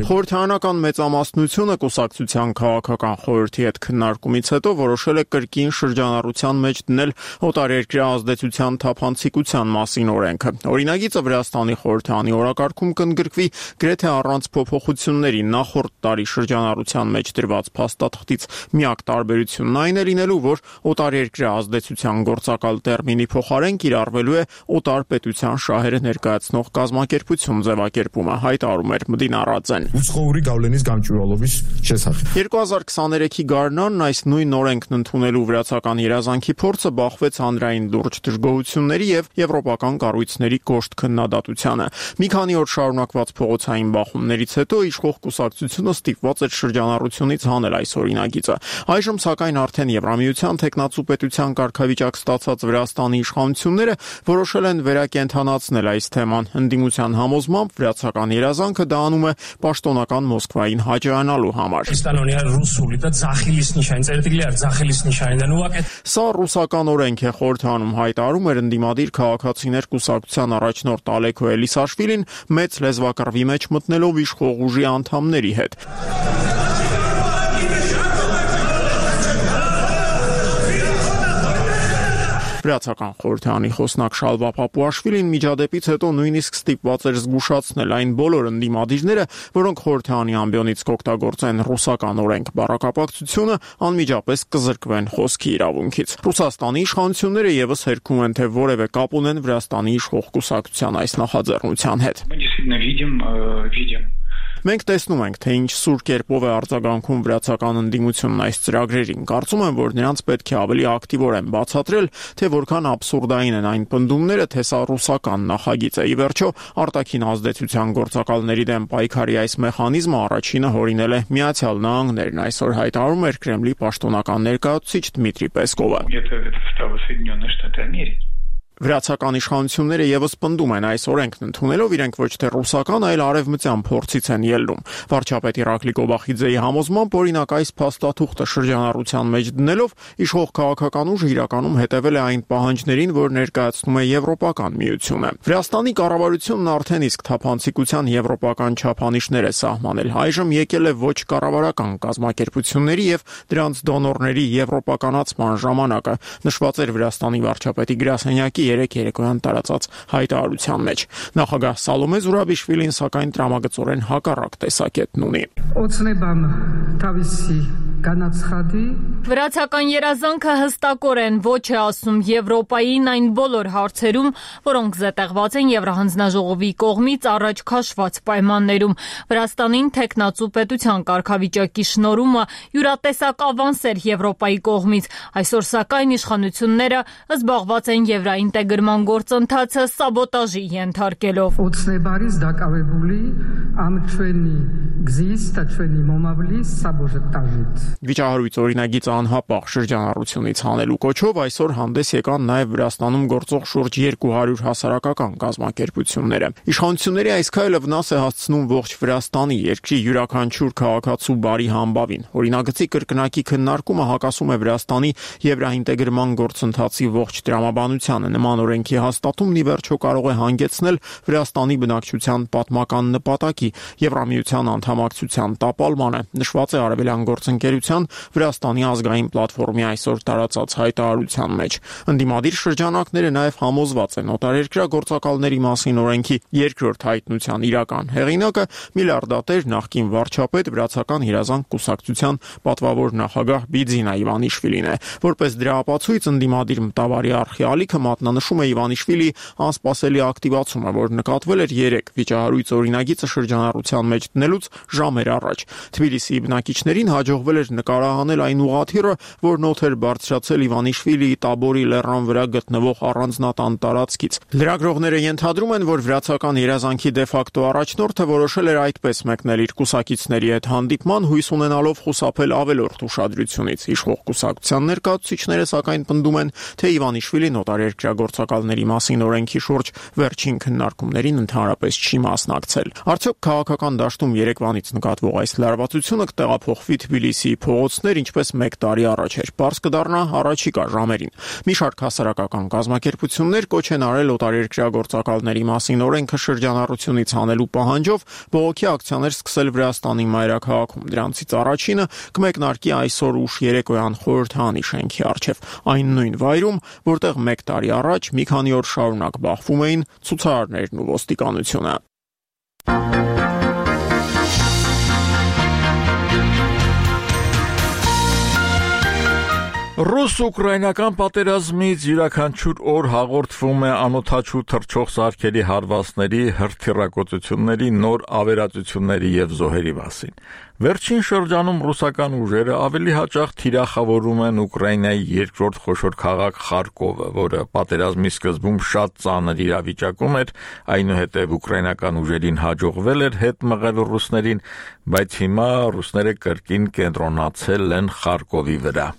Խորհրդարանական մեծամասնությունը կուսակցության քաղաքական խորհրդի հետ քննարկումից հետո որոշել է կրկին շրջանառության մեջ դնել օտարերկրյա ազդեցության թափանցիկության մասին օրենքը։ Օրինագիծը Վրաստանի խորհրդարանի օրակարգում կընդգրկվի գրեթե առանց փոփոխությունների։ Նախորդ տարի շրջանառության մեջ դրված փաստաթղթից միակ տարբերությունն այն է լինելու, որ օտարերկրյա ազդեցության գործակալ տերմինի փոխարեն կիրառվելու է օտար պետության շահերը ներկայացնող կազմակերպություն ձևակերպումը, հայտարարում էր Մդինարաձեն։ 2023-ի գարնանն այս նույն օրենքն ընդունելու վրացական երազանքի փորձը բախվեց հանրային լուրջ դժգոհությունների եւ եվրոպական կառույցների կոշտ քննադատությանը։ Մի քանի օր շարունակված փողոցային բախումներից հետո իշխող կուսակցությունը ստիպված էր շրջանառությունից հանել այս օրինագիծը։ Այժմ սակայն արդեն Եվրամիության թեկնածու պետության կարգավիճակ ստացած Վրաստանի իշխանությունները որոշել են վերակենդանացնել այս թեման։ Ընդդիմության համոզմամբ վրացական երազանքը դա անում է պաշտոնական Մոսկվային հաջողանալու համար։ Սա ռուսական օրենք է, խորհրդարանում հայտարարում էր ընդդիմադիր քաղաքացիներ կուսակցության առաջնորդ Ալեքո Էլիսաշվիլին մեծ լեզվակռվի մեջ մտնելով իշխող ուժի անդամների հետ։ Վրացական խորհրդարանի խոսնակ Շալվա Պապուաշվիլին միջադեպից հետո նույնիսկ ստիպված էր զգուշացնել այն բոլոր ընդդիմադիրները, որոնք խորհրդարանի ամբիոնից կօգտագործեն ռուսական օրենք բառակապակցությունը, անմիջապես կզրկվեն խոսքի իրավունքից։ Ռուսաստանի իշխանությունները եւս հերքում են, թե որևէ կապ ունեն Վրաստանի իշխող կուսակցության այս նախաձեռնության հետ։ Մենք տեսնում ենք, թե ինչ սուր կերպով է արձագանքում վրացական ընդդիմությունն այս ծրագրերին։ Կարծում եմ, որ նրանց պետք է ավելի ակտիվորեն բացատրել, թե որքան աբսուրդային են այն պնդումները, թե սա ռուսական նախագիծ է։ Ի վերջո, արտաքին ազդեցության գործակալների դեմ պայքարի այս մեխանիզմը առաջինը հորինել է Միացյալ Նահանգներն, այսօր հայտարարում էր Կրեմլի պաշտոնական ներկայացուցիչ Դմիտրի Պեսկովը։ Վրացական իշխանությունները եւս պնդում են այս օրենքն ընդունելով իրենք ոչ թե ռուսական, այլ արևմտյան փորձից են ելնում։ Վարչապետ Իրակլի Կոբախիձեի համոզմամբ օրինակ այս փաստաթուղթը շրջանառության մեջ դնելով իշխող քաղաքական ուժը իրականում հետևել է այն պահանջներին, որ ներկայացնում է Եվրոպական միությունը։ Վրաստանի կառավարությունն արդեն իսկ թափանցիկության եվրոպական չափանիշներ է սահմանել։ Այժմ եկել է ոչ կառավարական կազմակերպությունների եւ դրանց դոնորների եվրոպականացման ժամանակը, նշված էր Վրաստանի վարչապետի գրասենյակի երեք երեկոյան տարածած հայտարարության մեջ։ Նախագահ Սալոմե Զուրաբիշվիլին սակայն տրամագծորեն հակառակ տեսակետն ունի։ Վրացական երազանքը հստակորեն ոչ է ասում Եվրոպային այն բոլոր հարցերում, որոնք զետեղված են Եվրահանձնաժողովի կողմից առաջ քաշված պայմաններում։ Վրաստանին թեկնածու պետության կարգավիճակի շնորհումը յուրատեսակ ավանս էր Եվրոպայի կողմից։ Այսօր սակայն իշխանությունները զբաղված են եվրաինտեգրման գործընթացը սաբոտաժի ենթարկելով։ Վիճահարույց օրինագիծը անհապաղ շրջանառությունից հանելու կոչով այսօր հանդես եկան նաև Վրաստանում գործող շուրջ 200 հասարակական կազմակերպությունները։ Իշխանությունների այս քայլը վնաս է հասցնում ողջ Վրաստանի, երկրի յուրաքանչյուր քաղաքացու բարի համբավին։ Օրինագծի կրկնակի քննարկումը հակասում է Վրաստանի եվրաինտեգրման գործընթացի ողջ տրամաբանությանը։ Նման օրենքի հաստատումն ի վերջո կարող է հանգեցնել Վրաստանի բնակչության պատմական նպատակի Եվրամիության անդամակցության տապալմանը, նշված է Արևելյան գործընկերության Վրաստանի ազգային պլատֆորմի այսօր տարածած հայտարարության մեջ։ Ընդդիմադիր շրջանակները նաև համոզված են օտարերկրյա գործակալների մասին օրենքի երկրորդ հայտնության իրական հեղինակը միլիարդատեր նախկին վարչապետ Վրացական երազանք կուսակցության պատվավոր նախագահ Բիձինա Իվանիշվիլին է։ Որպես դրա ապացույց ընդդիմադիր մտավարի արխիալիքը մատնանշում է Իվանիշվիլի անսպասելի ակտիվացումը, որ նկատվել էր 3 վիճահարույց օրինագիծը շրջանառության մեջ դնելուց ժամեր առաջ։ Թբիլիսիի բնակիչներին հաջողվել էր նկարահանել այն ուղղաթիռը, որն օդ էր բարձրացել Իվանիշվիլիի Տաբորի լեռան վրա գտնվող առանձնատան տարածքից։ Լրագրողները ենթադրում են, որ Վրացական երազանքի դեֆակտո առաջնորդը որոշել էր այդպես մեկնել իր կուսակիցների հետ հանդիպման, հույս ունենալով խուսափել ավելորդ ուշադրությունից։ Իշխող կուսակցության ներկայացուցիչները սակայն պնդում են, թե Իվանիշվիլին օտարերկրյա գործակալների մասին օրենքի շուրջ վերջին քննարկումներին ընդհանրապես չի մասնակցել։ Արդյոք քաղաքական դաշտում երեկվանից նկատվող այս լարվածությունը կտեղափոխվի Թբիլիսիի փողոցներ, ինչպես 1 տարի առաջ էր։ Պարզ կդառնա առաջիկա ժամերին։ Մի շարք հասարակական կազմակերպություններ կոչ են արել օտարերկրյա գործակալների մասին օրենքը շրջանառությունից հանելու պահանջով բողոքի ակցիաներ սկսել Վրաստանի մայրաքաղաքում։ Դրանցից առաջինը կմեկնարկի այսօր ուշ երեկոյան խորհրդանի շենքի առջև, այն նույն վայրում, որտեղ 1 տարի առաջ մի քանի օր շարունակ բախվում էին ցուցարարներն ու ոստիկանությունը։ Ռուս-ուկրաինական պատերազմից յուրաքանչյուր օր հաղորդվում է անօդաչու թռչող սարքերի հարվածների, հրթիռակոծությունների, նոր ավերածությունների եւ զոհերի մասին։ Վերջին շրջանում ռուսական ուժերը ավելի հաճախ թիրախավորում են Ուկրաինայի երկրորդ խոշոր քաղաք Խարկովը, որը պատերազմի սկզբում շատ ծանր իրավիճակում էր, այնուհետև ուկրաինական ուժերին հաջողվել էր հետ մղել ռուսներին, բայց հիմա ռուսները կրկին կենտրոնացել են Խարկովի վրա։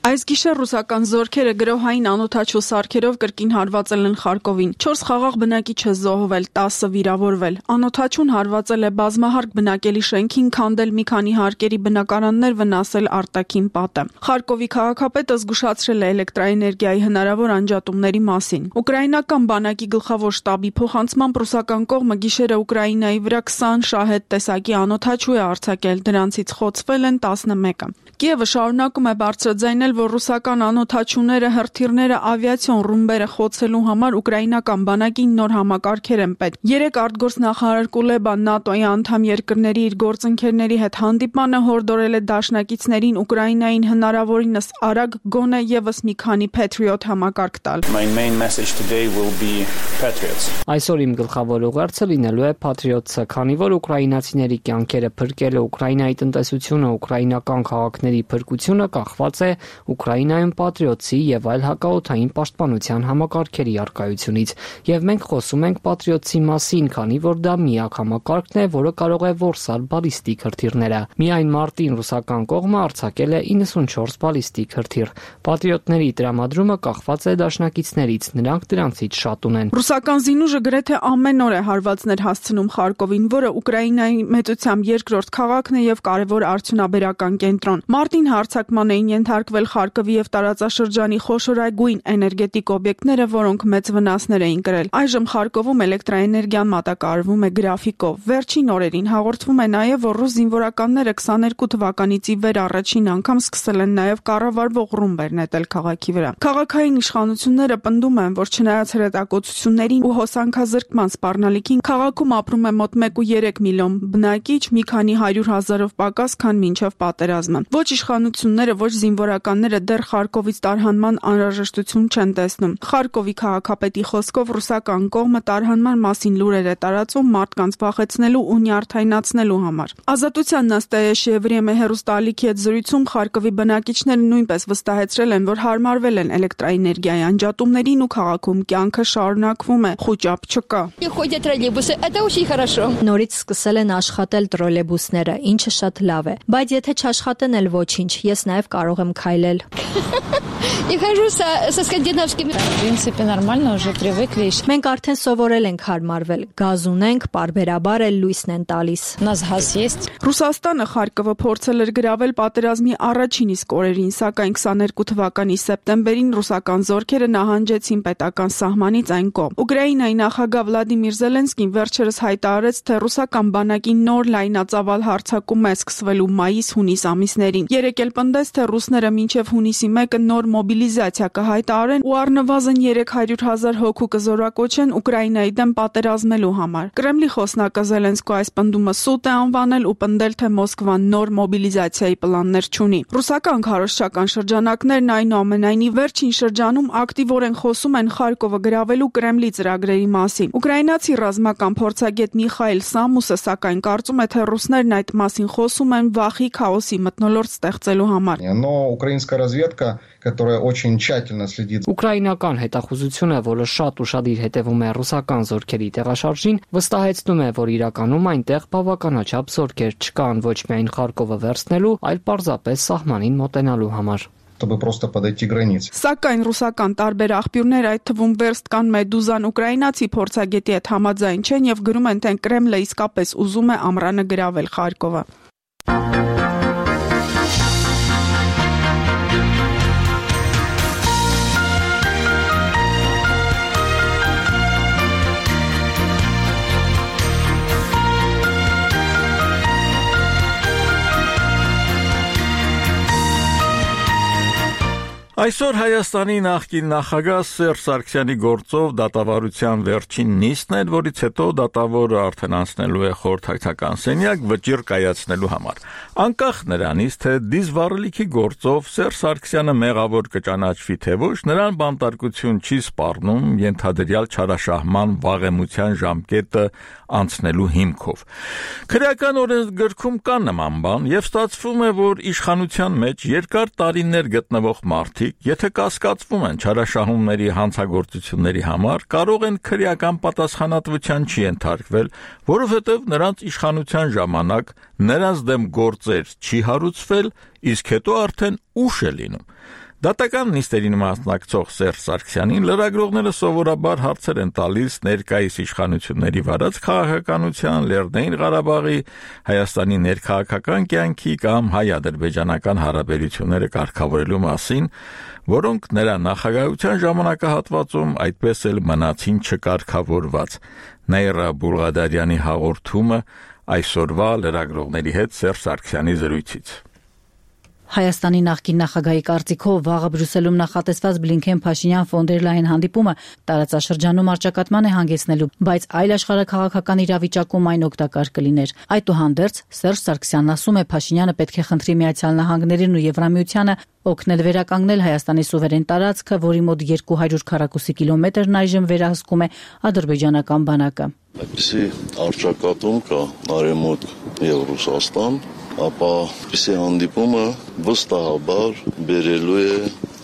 Այս գիշեր ռուսական զորքերը գրոհային անօդաչու սարքերով կրկին հարվածել են Խարկովին։ 4 խաղաղ բնակիչ է զոհվել, 10 վիրավորվել։ Անօդաչուն հարվածել է բազմահարկ բնակելի շենքին, քանդել մի քանի հարկերի բնակարաններ, վնասել արտաքին պատը։ Խարկովի քաղաքապետը զգուշացրել է էլեկտրաէներգիայի հնարավոր անջատումների մասին։ Ուկրաինական բանակի գլխավոր շտաբի փոխանցմամբ ռուսական կողմը գիշերը Ուկրաինայի վրա 20 շահեդ տեսակի անօդաչու է արձակել, դրանցից խոցվել են 11-ը։ Կիևը շարունակում է բարձրաձայնել, որ ռուսական անօդաչուները, հրթիռները, ավիացիոն ռումբերը խոցելու համար ուկրաինական բանակին նոր համակարգեր են պետք։ 3 արտգործնախարար Կուլեբան ՆԱՏՕ-ի անդամ երկրների իր գործընկերների հետ հանդիպմանը հորդորել է դաշնակիցներին Ուկրաինային հնարավորինս արագ գոնե եւս մի քանի Patriot համակարգ տալ։ Այսօր իմ գլխավոր ուղերձը լինելու է Patriot-ը, քանի որ ուկրաինացիների կյանքերը փրկելը, Ուկրաինայի տնտեսությունը, ուկրաինական քաղաքների փրկությունը կախված է Ուկրաինայում Patriot-ի եւ այլ հակաօդային պաշտպանության համակարգերի առկայությունից, եւ մենք խոսում ենք Patriot-ի մասին, քանի որ դա միակ համակարգն է, որը կարող է որսալ բալիստիկ հրթիռները։ Միայն մարտին ռուսական կողմը արձակել է 94 բալիստիկ հրթիռ։ Patriot-ների տրամադրումը կախված է դաշնակիցներից, նրանք դրանցից շատ ունեն։ Ռուսական զինուժը գրեթե ամեն օր է հարվածներ հասցնում Խարկովին, որը Ուկրաինայի մեծությամբ երկրորդ քաղաքն է եւ կարևոր արդյունաբերական կենտրոն։ Մարտին հարձակման էին ենթարկվել Խարկովի եւ տարածաշրջանի խոշորագույն էներգետիկ օբյեկտները, որոնք մեծ վնասներ էին կրել։ Այժմ Խարկովում էլեկտրաէներգիան մատակարարվում է գրաֆիկով։ Վերջին օրերին հաղորդվում է նաեւ, որ ռուս զինվորականները 22 թվականից ի վեր առաջին անգամ սկսել են նաեւ կառավարվող ռումբեր նետել քաղաքի վրա։ Քաղաքային իշխանությունները պնդում են, որ չնայած հրետակոծություններին ու հոսանքազրկման սպառնալիքին, քաղաքում ապրում է մոտ 1.3 միլիոն բնակիչ, մի քանի 100,000-ով պակաս, քան մինչև պատերազմը։ Ոչ իշխանությունները, ոչ զինվորականները սահմանները դեռ Խարկովից տարհանման անհրաժեշտություն չեն տեսնում։ Խարկովի քաղաքապետի խոսքով ռուսական կողմը տարհանման մասին լուրեր է տարածում մարդկանց վախեցնելու ու նյարդայնացնելու համար։ Ազատության Նաստայա Վրեմե հեռուստաալիքի հետ զրույցում Խարկովի բնակիչները նույնպես վստահեցրել են, որ հարմարվել են էլեկտրաէներգիայի անջատումներին ու քաղաքում կյանքը շարունակվում է, խուճապ չկա։ Նորից սկսել են աշխատել տրոլեյբուսները, ինչը շատ լավ է, բայց եթե չաշխատեն էլ ոչինչ, ես նաև կարող եմ քայլել։ Մենք արդեն սովորել ենք հարմարվել, գազ ունենք, պարբերաբար էլ լույսն են տալիս։ Ռուսաստանը Խարկովը փորձել էր գրավել պատերազմի առաջին իսկ օրերին, սակայն 22 թվականի սեպտեմբերին ռուսական զորքերը նահանջեցին պետական սահմանից այն կողմ։ Ուկրաինայի նախագահ Վլադիմիր Զելենսկին վերջերս հայտարարեց, թե ռուսական բանակի նոր լայնածավալ հարձակում է սկսվելու մայիս-հունիս ամիսներին։ Երեկ էլ պնդեց, թե ռուսները մինչև հունիսի 1-ը նոր մոբիլիզացիա կհայտարարեն ու առնվազն 300,000 հոգու կզորակոչեն Ուկրաինայի դեմ պատերազմելու համար։ Կրեմլի խոսնակը Զելենսկու այս պնդումը սուտ է անվանել ու պնդել, թե Մոսկվան նոր մոբիլիզացիայի պլաններ չունի։ Ռուսական քարոզչական շրջանակներն այնուամենայնիվ վերջին շրջանում ակտիվորեն խոսում են Խարկովը գրավելու Կրեմլի ծրագրերի մասին։ Ուկրաինացի ռազմական փորձագետ Միխայել Սամուսը սակայն կարծում է, թե ռուսներն այդ մասին խոսում են վախի, քաոսի մթնոլորտ ստեղծելու համար։ Ուկրաինական հետախուզությունը, որը շատ ուշադիր հետևում է ռուսական զորքերի տեղաշարժին, վստահեցնում է, որ իրականում այնտեղ բավականաչափ զորքեր չկան ոչ միայն Խարկովը վերցնելու, այլ պարզապես սահմանին մոտենալու համար։ Սակայն ռուսական տարբեր աղբյուրներ, այդ թվում Վերստկան Մեդուզան ուկրաինացի փորձագետի հետ համաձայն չեն եւ գրում են, թե Կրեմլը իսկապես ուզում է ամռանը գրավել Խարկովը։ Այսօր Հայաստանի նախկին նախագահ Սերժ Սարգսյանի գործով դատավարության վերջին նիստն էր, որից հետո դատավորը արդեն անցնելու է խորհրդակցական սենյակ վճիռ կայացնելու համար։ Անկախ նրանից, թե դիզվառելիքի գործով Սերժ Սարգսյանը մեղավոր կճանաչվի թե ոչ, նրան բանտարկություն չի սպառնում ենթադրյալ չարաշահման վաղեմության ժամկետը անցնելու հիմքով։ Քրեական օրենսգրքում կա նման բան, եւ ստացվում է, որ իշխանության մեջ երկար տարիներ գտնվող մարդիկ, եթե կասկածվում են չարաշահումների հանցագործությունների համար, կարող են քրեական պատասխանատվության չենթարկվել, որովհետեւ նրանց իշխանության ժամանակ նրանց դեմ գործեր չի հարուցվել, իսկ հետո արդեն ուշ է լինում։ Դատական նիստերին մասնակցող Սերժ Սարգսյանին լրագրողները սովորաբար հարցեր են տալիս ներկայիս իշխանությունների վարած քաղաքականության, Լեռնային Ղարաբաղի, Հայաստանի ներքաղաքական կյանքի կամ հայ-ադրբեջանական հարաբերությունները կարգավորելու մասին, որոնք նրա նախագահության ժամանակահատվածում այդպես էլ մնացին չկարգավորված։ Նաիրա Բուլղադարյանի հաղորդումը այսօրվա լրագրողների հետ Սերժ Սարգսյանի զրույցից։ Հայաստանի նախկին նախագահի կարծիքով վաղը Բրյուսելում նախատեսված Բլինքեն-Փաշինյան ֆոն դեր Լայեն հանդիպումը տարածաշրջանում առճակատման է հանգեցնելու, բայց այլ աշխարհաքաղաքական իրավիճակում այն օգտակար կլիներ։ Այդուհանդերձ Սերժ Սարգսյանն ասում է, Փաշինյանը պետք է խնդրի Միացյալ Նահանգներին ու Եվրամիությանը օգնել վերականգնել Հայաստանի սուվերեն տարածքը, որի մոտ 200 քառակուսի կիլոմետրն այժմ վերահսկում է ադրբեջանական բանակը։ Այդպիսի առճակատում կա Արևմուտք եւ Ռուսաստան, ապա պիսի հանդիպումը վստահաբար բերելու է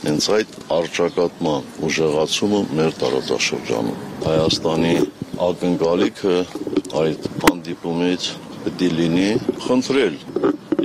հենց այդ առճակատման ուժեղացումը մեր տարածաշրջանում։ Հայաստանի ակնկալիքը այդ հանդիպումից պետք է լինի խնդրել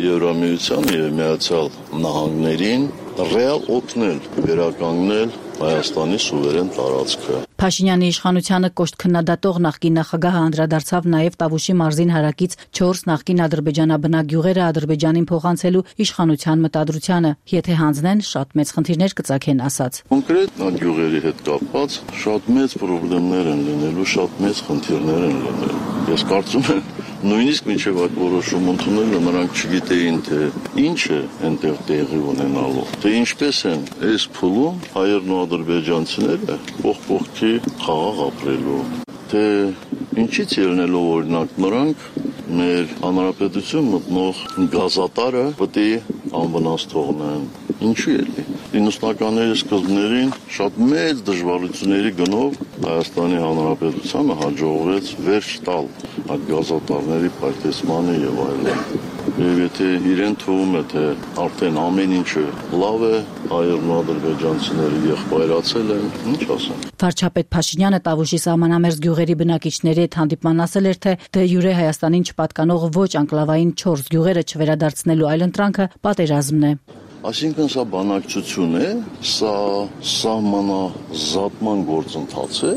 Եվրամիության եւ Միացյալ Նահանգներին ռեալ օգնել վերականգնել Հայաստանի սուվերեն տարածքը։ Փաշինյանի իշխանությանը կոշտ քննադատող նախկին նախագահը անդրադարձավ նաև Տավուշի մարզին հարակից 4 նախկին ադրբեջանաբնակ գյուղերը Ադրբեջանին փոխանցելու իշխանության մտադրությանը, եթե հանձնեն, շատ մեծ խնդիրներ կծագեն, ասաց։ Կոնկրետ այդ գյուղերի հետ կապված շատ մեծ խնդիրներ են լինելու, շատ մեծ խնդիրներ են լինելու։ Ես կարծում եմ, նույնիսկ մինչև այդ որոշումը ընդունելը նրանք չգիտեին, թե ինչ է այնտեղ տեղի ունենալու, թե ինչպես են այս փուլում հայերն ու ադրբեջանցիները փոխ-փոխքի խաղաղ ապրելու, թե ինչից ելնելով օրինակ նրանք մեր հանրապետություն մտնող գազատարը պետք է անվնաս թողնեն, Ինչու էլի 90-ականների սկզբներին շատ մեծ դժվարությունների գնով Հայաստանի Հանրապետությանը հաջողվեց վերջ տալ այդ գազատարների պայթեցմանը եւ այլն։ Եվ եթե իրեն թվում է, թե արդեն ամեն ինչը լավ է, հայերն ու ադրբեջանցիները եղբայրացել են, ինչ ասեմ։ Վարչապետ Փաշինյանը Տավուշի սահմանամերձ գյուղերի բնակիչների հետ հանդիպման ասել էր, թե դե յուրե Հայաստանին չպատկանող ոչ անկլավային 4 գյուղերը չվերադարձնելու այլընտրանքը պատերազմն է։ Այսինքն սա բանակցություն է, սա սահմանազատման գործընթաց է,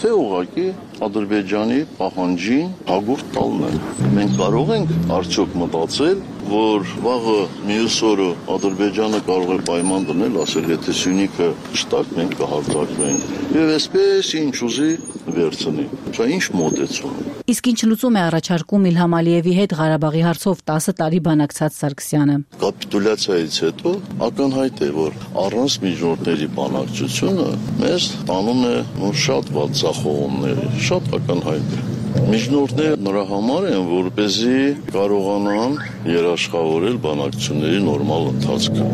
թե ուղղակի Ադրբեջանի պահանջին հագուրդ տալն է։ Մենք կարող ենք արդյոք մտածել, որ վաղը մյուս օրը Ադրբեջանը կարող է պայման դնել, ասել, եթե Սյունիքը չտակ, մենք կհարձակվենք։ Եվ այսպես ինչ ուզի վերցնի։ Սա ինչ մոտեցում է։ Իսկ ինչ լուծում է առաջարկում Իլհամ Ալիևի հետ Ղարաբաղի հարցով 10 տարի բանակցած Սարգսյանը։ Կապիտուլյացիայից հետո ակնհայտ է, որ առանց միջնորդների բանակցությունը մեզ տանում է շատ վատ ձախողումների, շատ ակնհայտ է։ Միջնորդները նրա համար են, որպեսզի կարողանան երաշխավորել բանակցությունների նորմալ ընթացքը։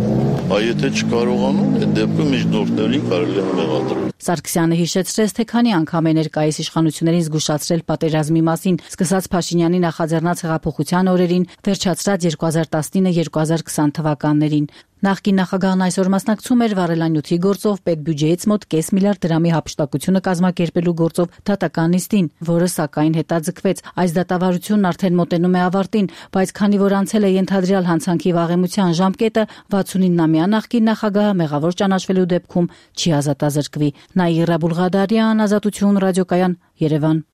Եթե չկարողանան, այդ դեպքում միջնորդներին կարելի է մեղադրել։ Սարգսյանը հիշեցրեց, թե քանի անգամ է ներկայիս իշխանություններին զգուշացրել պատերազմի մասին, սկսած Փաշինյանի նախաձեռնած հեղափոխության օրերին, վերջացրած 2019-2020 թվականներին։ Նախկին նախագահն այսօր մասնակցում էր վառելանյութի գործով պետբյուջեից մոտ կես միլիարդ դրամի հափշտակությունը կազմակերպելու գործով դատական նիստին, որը սակայն հետաձգվեց։ Այս դատավարությունն արդեն մոտենում է ավարտին, բայց քանի որ անցել է ենթադրյալ հանցանքի վաղեմության ժամկետը, 69-ամյա նախկին նախագահը մեղավոր ճանաչվելու դեպքում չի ազատազրկվի։ Նաիրա Բուլղադարյան, Ազատություն ռադիոկայան, Երևան։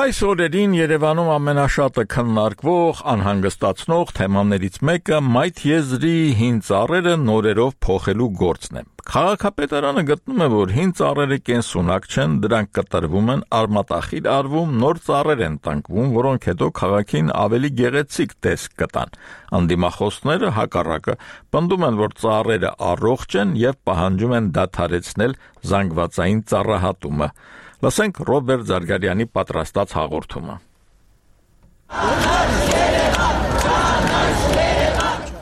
Այս օրերին Երևանում ամենաշատը քննարկվող, անհանգստացնող թեմաներից մեկը Մայթ եզրի հին ծառերը նորերով փոխելու գործն է։ Քաղաքապետարանը գտնում է, որ հին ծառերը կենսունակ չեն, դրանք կտրվում են, արմատախիլ արվում, նոր ծառեր են տնկվում, որոնք հետո քաղաքին ավելի գեղեցիկ տեսք կտան։ Անդիմախոսները հակառակը պնդում են, որ ծառերը առողջ են եւ պահանջում են դադարեցնել զանգվածային ծառահատումը։ Լսենք Ռոբերտ Զարգարյանի պատրաստած հաղորդումը։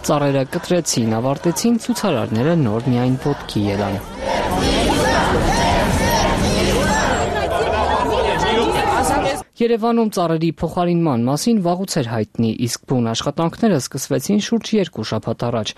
Ծառերը կտրեցին, ավարտեցին, ցուցարարները նոր միայն ոտքի ելան։ Երևանում ծառերի փոխարինման մասին վաղուց էր հայտնի, իսկ բուն աշխատանքները սկսվեցին շուրջ 2 շաբաթ առաջ։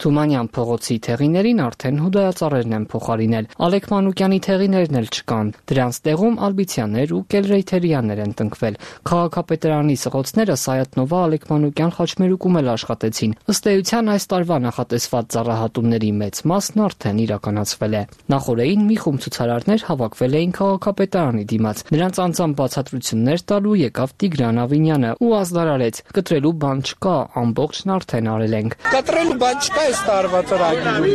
Թումանյան փողոցի թեղիներին արդեն հուդայածառերն են փոխարինել։ Ալեք Մանուկյանի թեղիներն էլ չկան։ Դրանց տեղում Ալբիցյաններ ու Կելրեյթերյաններ են տնկվել։ Քաղաքապետարանի սղոցները Սայաթնովա, Ալեք Մանուկյան խաչմերուկում էլ աշխատեցին։ Ըստ էության այս տարվա նախատեսված ծառահատումների մեծ մասն արդեն իրականացվել է։ Նախորդին մի խումբ ցուցարարներ հավաքվել էին քաղաքապետարանի դիմաց։ Նրանց անձամբ բացատրություններ տալու եկավ Տիգրան Ավինյանը ու ազդարարեց. կտրելու բան չկա, ամբողջն արդեն արել ենք։ Կտրելու բան չկա այս տարվա ծրագրում։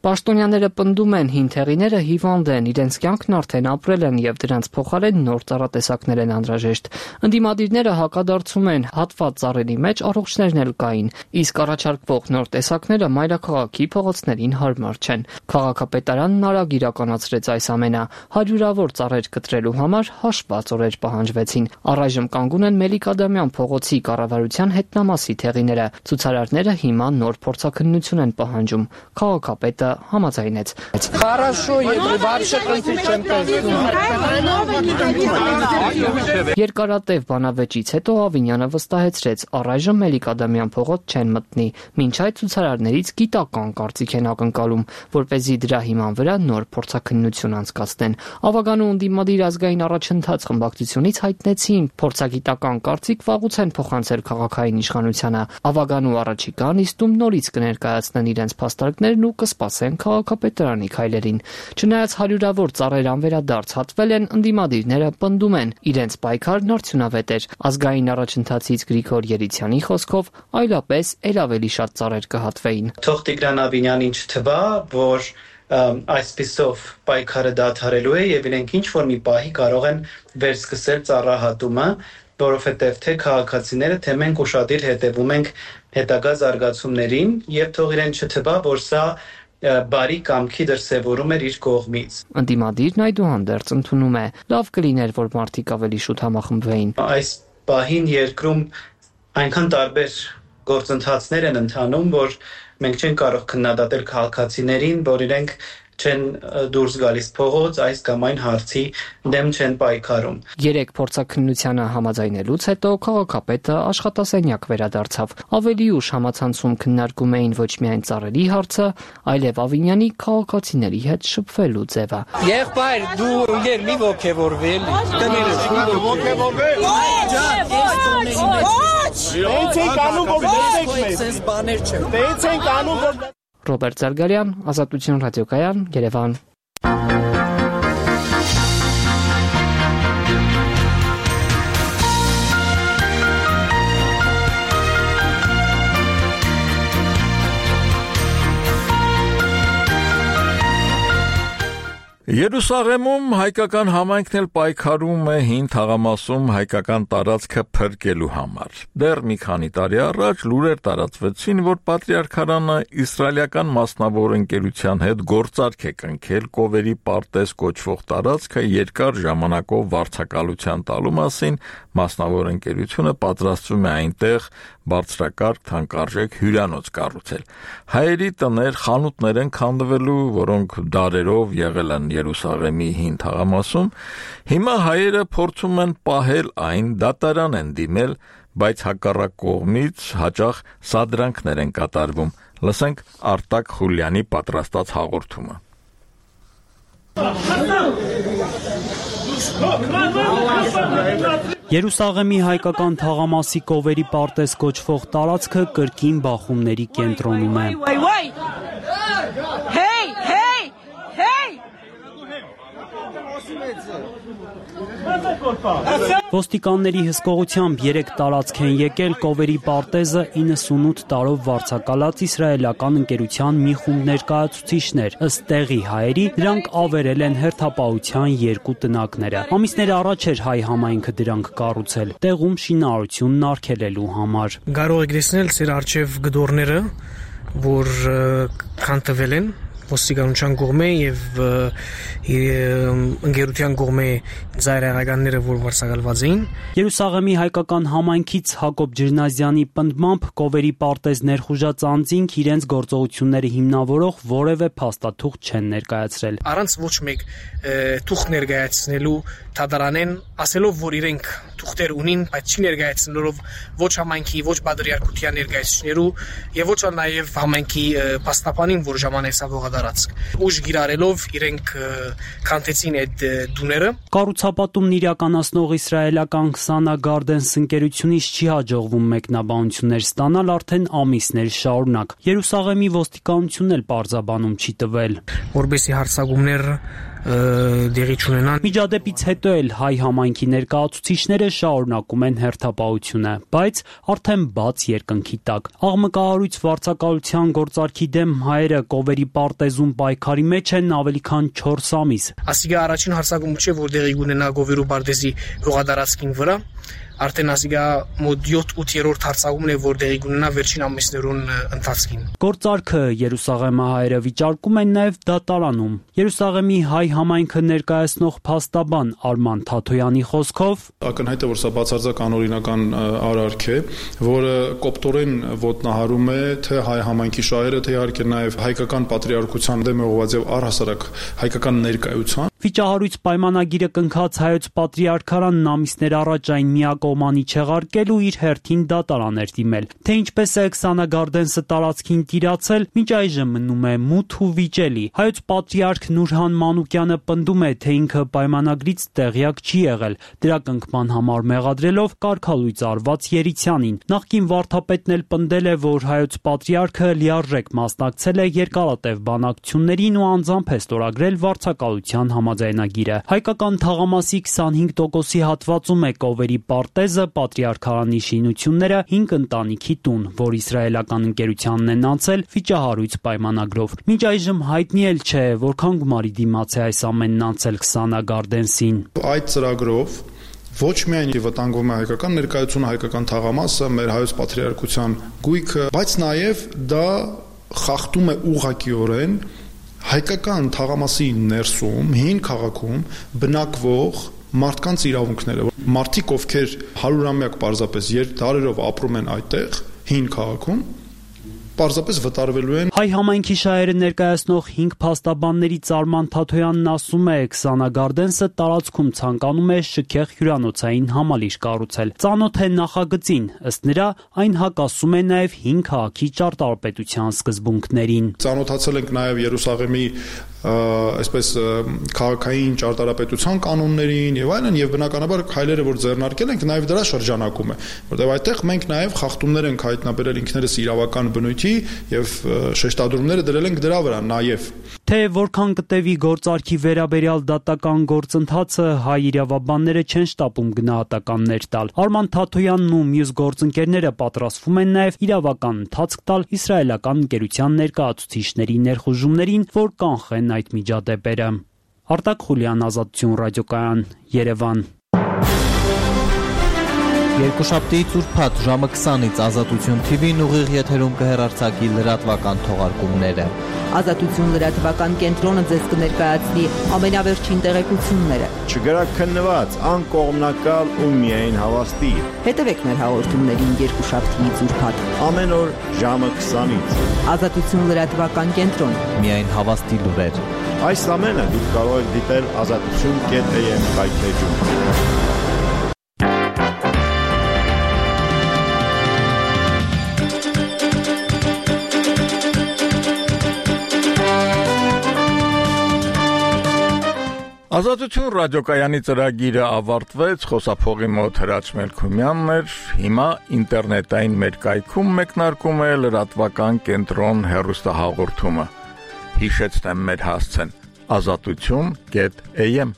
Պաշտոնյաները պնդում են, հին թեղիները հիվանդ են, իրենց կյանքն արդեն ապրել են եւ դրանց փոխարեն նոր ծառատեսակներ են անհրաժեշտ։ Ընդդիմադիրները հակադարձում են, հատված ծառերի մեջ առողջներն էլ կային, իսկ առաջարկվող նոր տեսակները մայրաքաղաքի փողոցներին հարմար չեն։ Քաղաքապետարանն արագ իրականացրեց այս ամենը։ Հարյուրավոր ծառեր կտրելու համար հաշված օրեր պահանջվեցին։ Առայժմ կանգուն են Մելիք-Ադամյան փողոցի կառավարության հետնամասի թեղիները։ Ցուցարարները հիմա նոր փորձաքննություն են պահանջում։ Քաղաքապետը համաձայնեց։ Хорошо, եթե вообще կոնֆլիկտ չեմ տեսնում։ Երկարատև բանավեճից հետո Ավինյանը վստահեցրեց, առայժմ Մելիք-Ադամյան փողոց չեն մտնի։ Մինչ այդ ցուցարարներից գիտական կարծիք են ակնկալում, որպեսզի դրա հիման վրա նոր փորձաքննություն անցկացնեն։ Ավագանու ընդդիմադիր ազգային առաջընթաց խմբակցությունից հայտնեցին, փորձագիտական կարծիք վաղուց են փոխանցել քաղաքային իշխանությանը։ Ավագանու առաջիկա նիստում նորից կներկայացնեն իրենց փաստարկներն ու կսպասեն քաղաքապետարանի քայլերին։ Չնայած հարյուրավոր ծառեր անվերադարձ հատվել են, ընդդիմադիրները պնդում են, իրենց պայքարն արդյունավետ էր։ Ազգային առաջընթացից Գրիգոր Երիցյանի խոսքով այլապես ել ավելի շատ ծառեր կհատվեին։ Թող Տիգրան Ավինյանին չթվա, որ այսպիսով պայքարը դադարելու է եւ իրենք ինչ որ մի պահի կարող են վերսկսել ծառահատումը, որովհետեւ թե քաղաքացիները, թե մենք ուշադիր հետևում ենք հետագա զարգացումներին եւ թող իրեն չթվա, որ սա բարի կամքի դրսևորում էր իր կողմից։ Ընդդիմադիրն այդուհանդերձ ընդունում է, լավ կլիներ, որ մարդիկ ավելի շուտ համախմբվեին։ Այս պահին երկրում այնքան տարբեր գործընթացներ են ընթանում, որ մենք չենք կարող քննադատել քաղաքացիներին, որ իրենք չեն դուրս գալիս փողոց, այս կամ այն հարցի դեմ չեն պայքարում։ 3 փորձաքննությանը համաձայնելուց հետո քաղաքապետը աշխատասենյակ վերադարձավ։ Ավելի ուշ համացանցում քննարկում էին ոչ միայն ծառերի հարցը, այլև Ավինյանի քաղաքացիների հետ շփվելու ձևը։ Եղբայր, դու ինքեր մի ոգևորվել, կներես մի ոգևորվել։ Դեցեք անում որ դեցեք մեզ։ Սենց բաներ չէ։ Դեցեք անում որ Ռոբերտ Զարգարյան, Ազատություն ռադիոկայան, Երևան։ Երուսաղեմում հայկական համայնքն էլ պայքարում է հին թաղամասում հայկական տարածքը փրկելու համար։ Դեռ մի քանի տարի առաջ լուրեր տարածվեցին, որ Պատրիարքարանը իսրայելական մասնավոր ընկերության հետ գործարք է կնքել Կովերի պարտեզ կոչվող տարածքը երկար ժամանակով վարձակալության տալու մասին, մասնավոր ընկերությունը պատրաստվում է այնտեղ բարձրակարգ թանկարժեք հյուրանոց կառուցել։ Հայերի տներ, խանութներ են քանդվելու, որոնք դարերով եղել են Երուսաղեմի հին թաղամասում, հիմա հայերը փորձում են պահել այն, դատարան են դիմել, բայց հակառակ կողմից հաճախ սադրանքներ են կատարվում։ Լսենք Արտակ Խուլյանի պատրաստած հաղորդումը։ Երուսաղեմի հայկական թաղամասի Կովերի պարտեզ կոչվող տարածքը կրկին բախումների կենտրոնում է։ Ոստիկանների հսկողությամբ 3 տարածք են եկել Կովերի պարտեզը 98 տարով վարձակալած իսրայելական ընկերության մի խումբ ներկայացուցիչներ։ Ըստ տեղի հայերի, դրանք ավերել են հերթապահության 2 տնակները։ Ամիսներ առաջ էր հայ համայնքը դրանք կառուցել, տեղում շինարարությունն արգելելու համար։ Կարող եք տեսնել ծեր արչև գդորները, որ քանդվել են ոստիկանության կողմէ եւ ընկերության կողմէ ծայրահեղականները, որ վարձակալված էին։ Երուսաղեմի հայկական համայնքից Հակոբ Ջրնազյանի պնդմամբ Կովերի պարտեզ ներխուժած անձինք իրենց գործողությունները հիմնավորող որևէ փաստաթուղթ չեն ներկայացրել։ Առանց ոչ մեկ թուղթ ներկայացնելու դատարանեն ասելով, որ իրենք թուղթեր ունին, բայց չի ներկայացնելով ոչ համայնքի, ոչ բادرիարքության ներկայացուցիչներու եւ ոչ նաեւ համայնքի պաստապանին, որ ժամանեցավ հողադարձք։ Ուժ գիրառելով իրենք քանդեցին այդ դուները։ Կառուցապատումն իրականացնող իսրայելական Քսանա Գարդենս ընկերությունից չի հաջողվում մեկնաբանություններ ստանալ արդեն ամիսներ շարունակ։ Երուսաղեմի ոստիկանությունն էլ պարզաբանում չի տվել։ Որբեսի հարցակումներ դեղի չունենան։ Միջադեպից հետո էլ հայ համայնքի ներկայացուցիչները շարունակում են հերթապահությունը, բայց արդեն բաց երկնքի տակ։ Աղմկահարույց վարձակալության գործարքի դեմ հայերը Կովերի պարտեզում պայքարի մեջ են ավելի քան 4 ամիս։ Ասիգա առաջին հարցակումը չէ, որ դեղի ունենա Կովերի պարտեզի հողադարձքին վրա։ Արդեն ասիգա մոտ 7-8-րդ հարցակումն է, որ դեղի ունենա վերջին ամիսներուն ընթացքին։ Գործարքը Երուսաղեմի հայերը վիճարկում են նաև դատարանում։ Երուսաղեմի հայ համայնքը ներկայացնող փաստաբան Արման Թաթոյանի խոսքով ակնհայտ է, որ սա բացարձակ անօրինական արարք է, որը կոպտորեն ոտնահարում է թե հայ համայնքի շահերը, թե իհարկե նաև հայկական պատրիարքության դեմ ուղղված եւ առհասարակ հայկական ներկայության։ Վիճահարույց պայմանագիրը կնքած հայոց պատրիարքարանն ամիսներ առաջ այն միակողմանի չեղարկել ու իր հերթին դատարան էր դիմել։ Թե ինչպես է Քսանա Գարդենսը տարածքին տիրացել, մինչ այժմ մնում է մութ ու վիճելի։ Հայոց պատրիարք Նուրհան Մանուկյանը պնդում է, թե ինքը պայմանագրից տեղյակ չի եղել, դրա կնքման համար մեղադրելով կարգալույծ արված Երիցյանին։ Նախկին վարդապետն էլ պնդել է, որ հայոց պատրիարքը լիարժեք մասնակցել է երկարատև բանակցություններին ու անձամբ է ստորագրել վարձակալության համաձայնագիրը։ Հայկական թաղամասի 25%-ի հատվածում է Կովերի պարտեզը, պատրիարքարանի շինությունները, 5 ընտանիքի տուն, որ իսրայելական ընկերությանն են անցել վիճահարույց պայմանագրով։ Մինչ այժմ հայտնի էլ չէ, որքան գումարի դիմաց է այս ամենն անցել Քսանա Գարդենսին։ Այդ ծրագրով ոչ միայն վտանգվում է հայկական ներկայությունը, հայկական թաղամասը, մեր հայոց պատրիարքության գույքը, բայց նաև դա խախտում է ուղղակիորեն հայկական թաղամասի ներսում, հին քաղաքում բնակվող մարդկանց իրավունքները, մարդիկ, ովքեր 100-ամյակ պարզապես դարերով ապրում են այդտեղ, հին քաղաքում, պարզապես վտարվելու են։ Հայ համայնքի շահերը ներկայացնող 5 փաստաբաններից Արման Թաթոյանն ասում է, Քսանա Գարդենսը տարածքում ցանկանում է շքեղ հյուրանոցային համալիր կառուցել։ Ծանոթ է նախագծին, ըստ նրա, այն հակասում է նաև 5 քաղաքի ճարտարապետության սկզբունքներին։ Ծանոթացել ենք նաև Երուսաղեմի այսպես քաղաքային ճարտարապետության կանոններին եւ այլն, եւ բնականաբար քայլերը, որ ձեռնարկել ենք, նաև դրա շրջանակում է, որտեղ այդտեղ մենք նաև խախտումներ ենք հայտնաբերել ինքներս իրավական բնույթի եւ շեշտադրումները դրել ենք դրա վրա նաև։ Թե որքան կտևի գործարքի վերաբերյալ դատական գործընթացը, հայ իրավաբանները չեն շտապում գնահատականներ տալ։ Արման Թաթոյանն ու մյուս գործընկերները պատրաստվում են նաև իրավական ընթացք տալ իսրայելական ընկերության ներկայացուցիչների ներխուժումներին, որ կանխեն այդ միջադեպերը։ Արտակ Խուլյան, Ազատություն ռադիոկայան, Երևան։ Երկուշաբթիից ուրբաթ ժամը 20-ից Ազատություն TV-ն ուղիղ եթերում կհեռարձակի լրատվական թողարկումները։ Ազատություն լրատվական կենտրոնը ձեզ կներկայացնի ամենավերջին տեղեկությունները։ Չգրաքննված, անկողմնակալ ու միայն հավաստի։ Հետևեք մեր հաղորդումներին երկուշաբթիից ուրբաթ ամեն օր ժամը 20-ից։ Ազատություն լրատվական կենտրոն։ Միայն հավաստի լուրեր։ Այս ամենը դուք կարող եք դիտել azatutun.am կայքեջում։ Ազատություն ռադիոկայանի ծրագիրը ավարտվեց, խոսափողի մոտ Հրաչ Մելքումյանն էր, հիմա ինտերնետային մեր կայքում մեկնարկում է լրատվական կենտրոն հեռուստահաղորդումը։ Հիշեցնեմ մեր հասցեն azatutun.am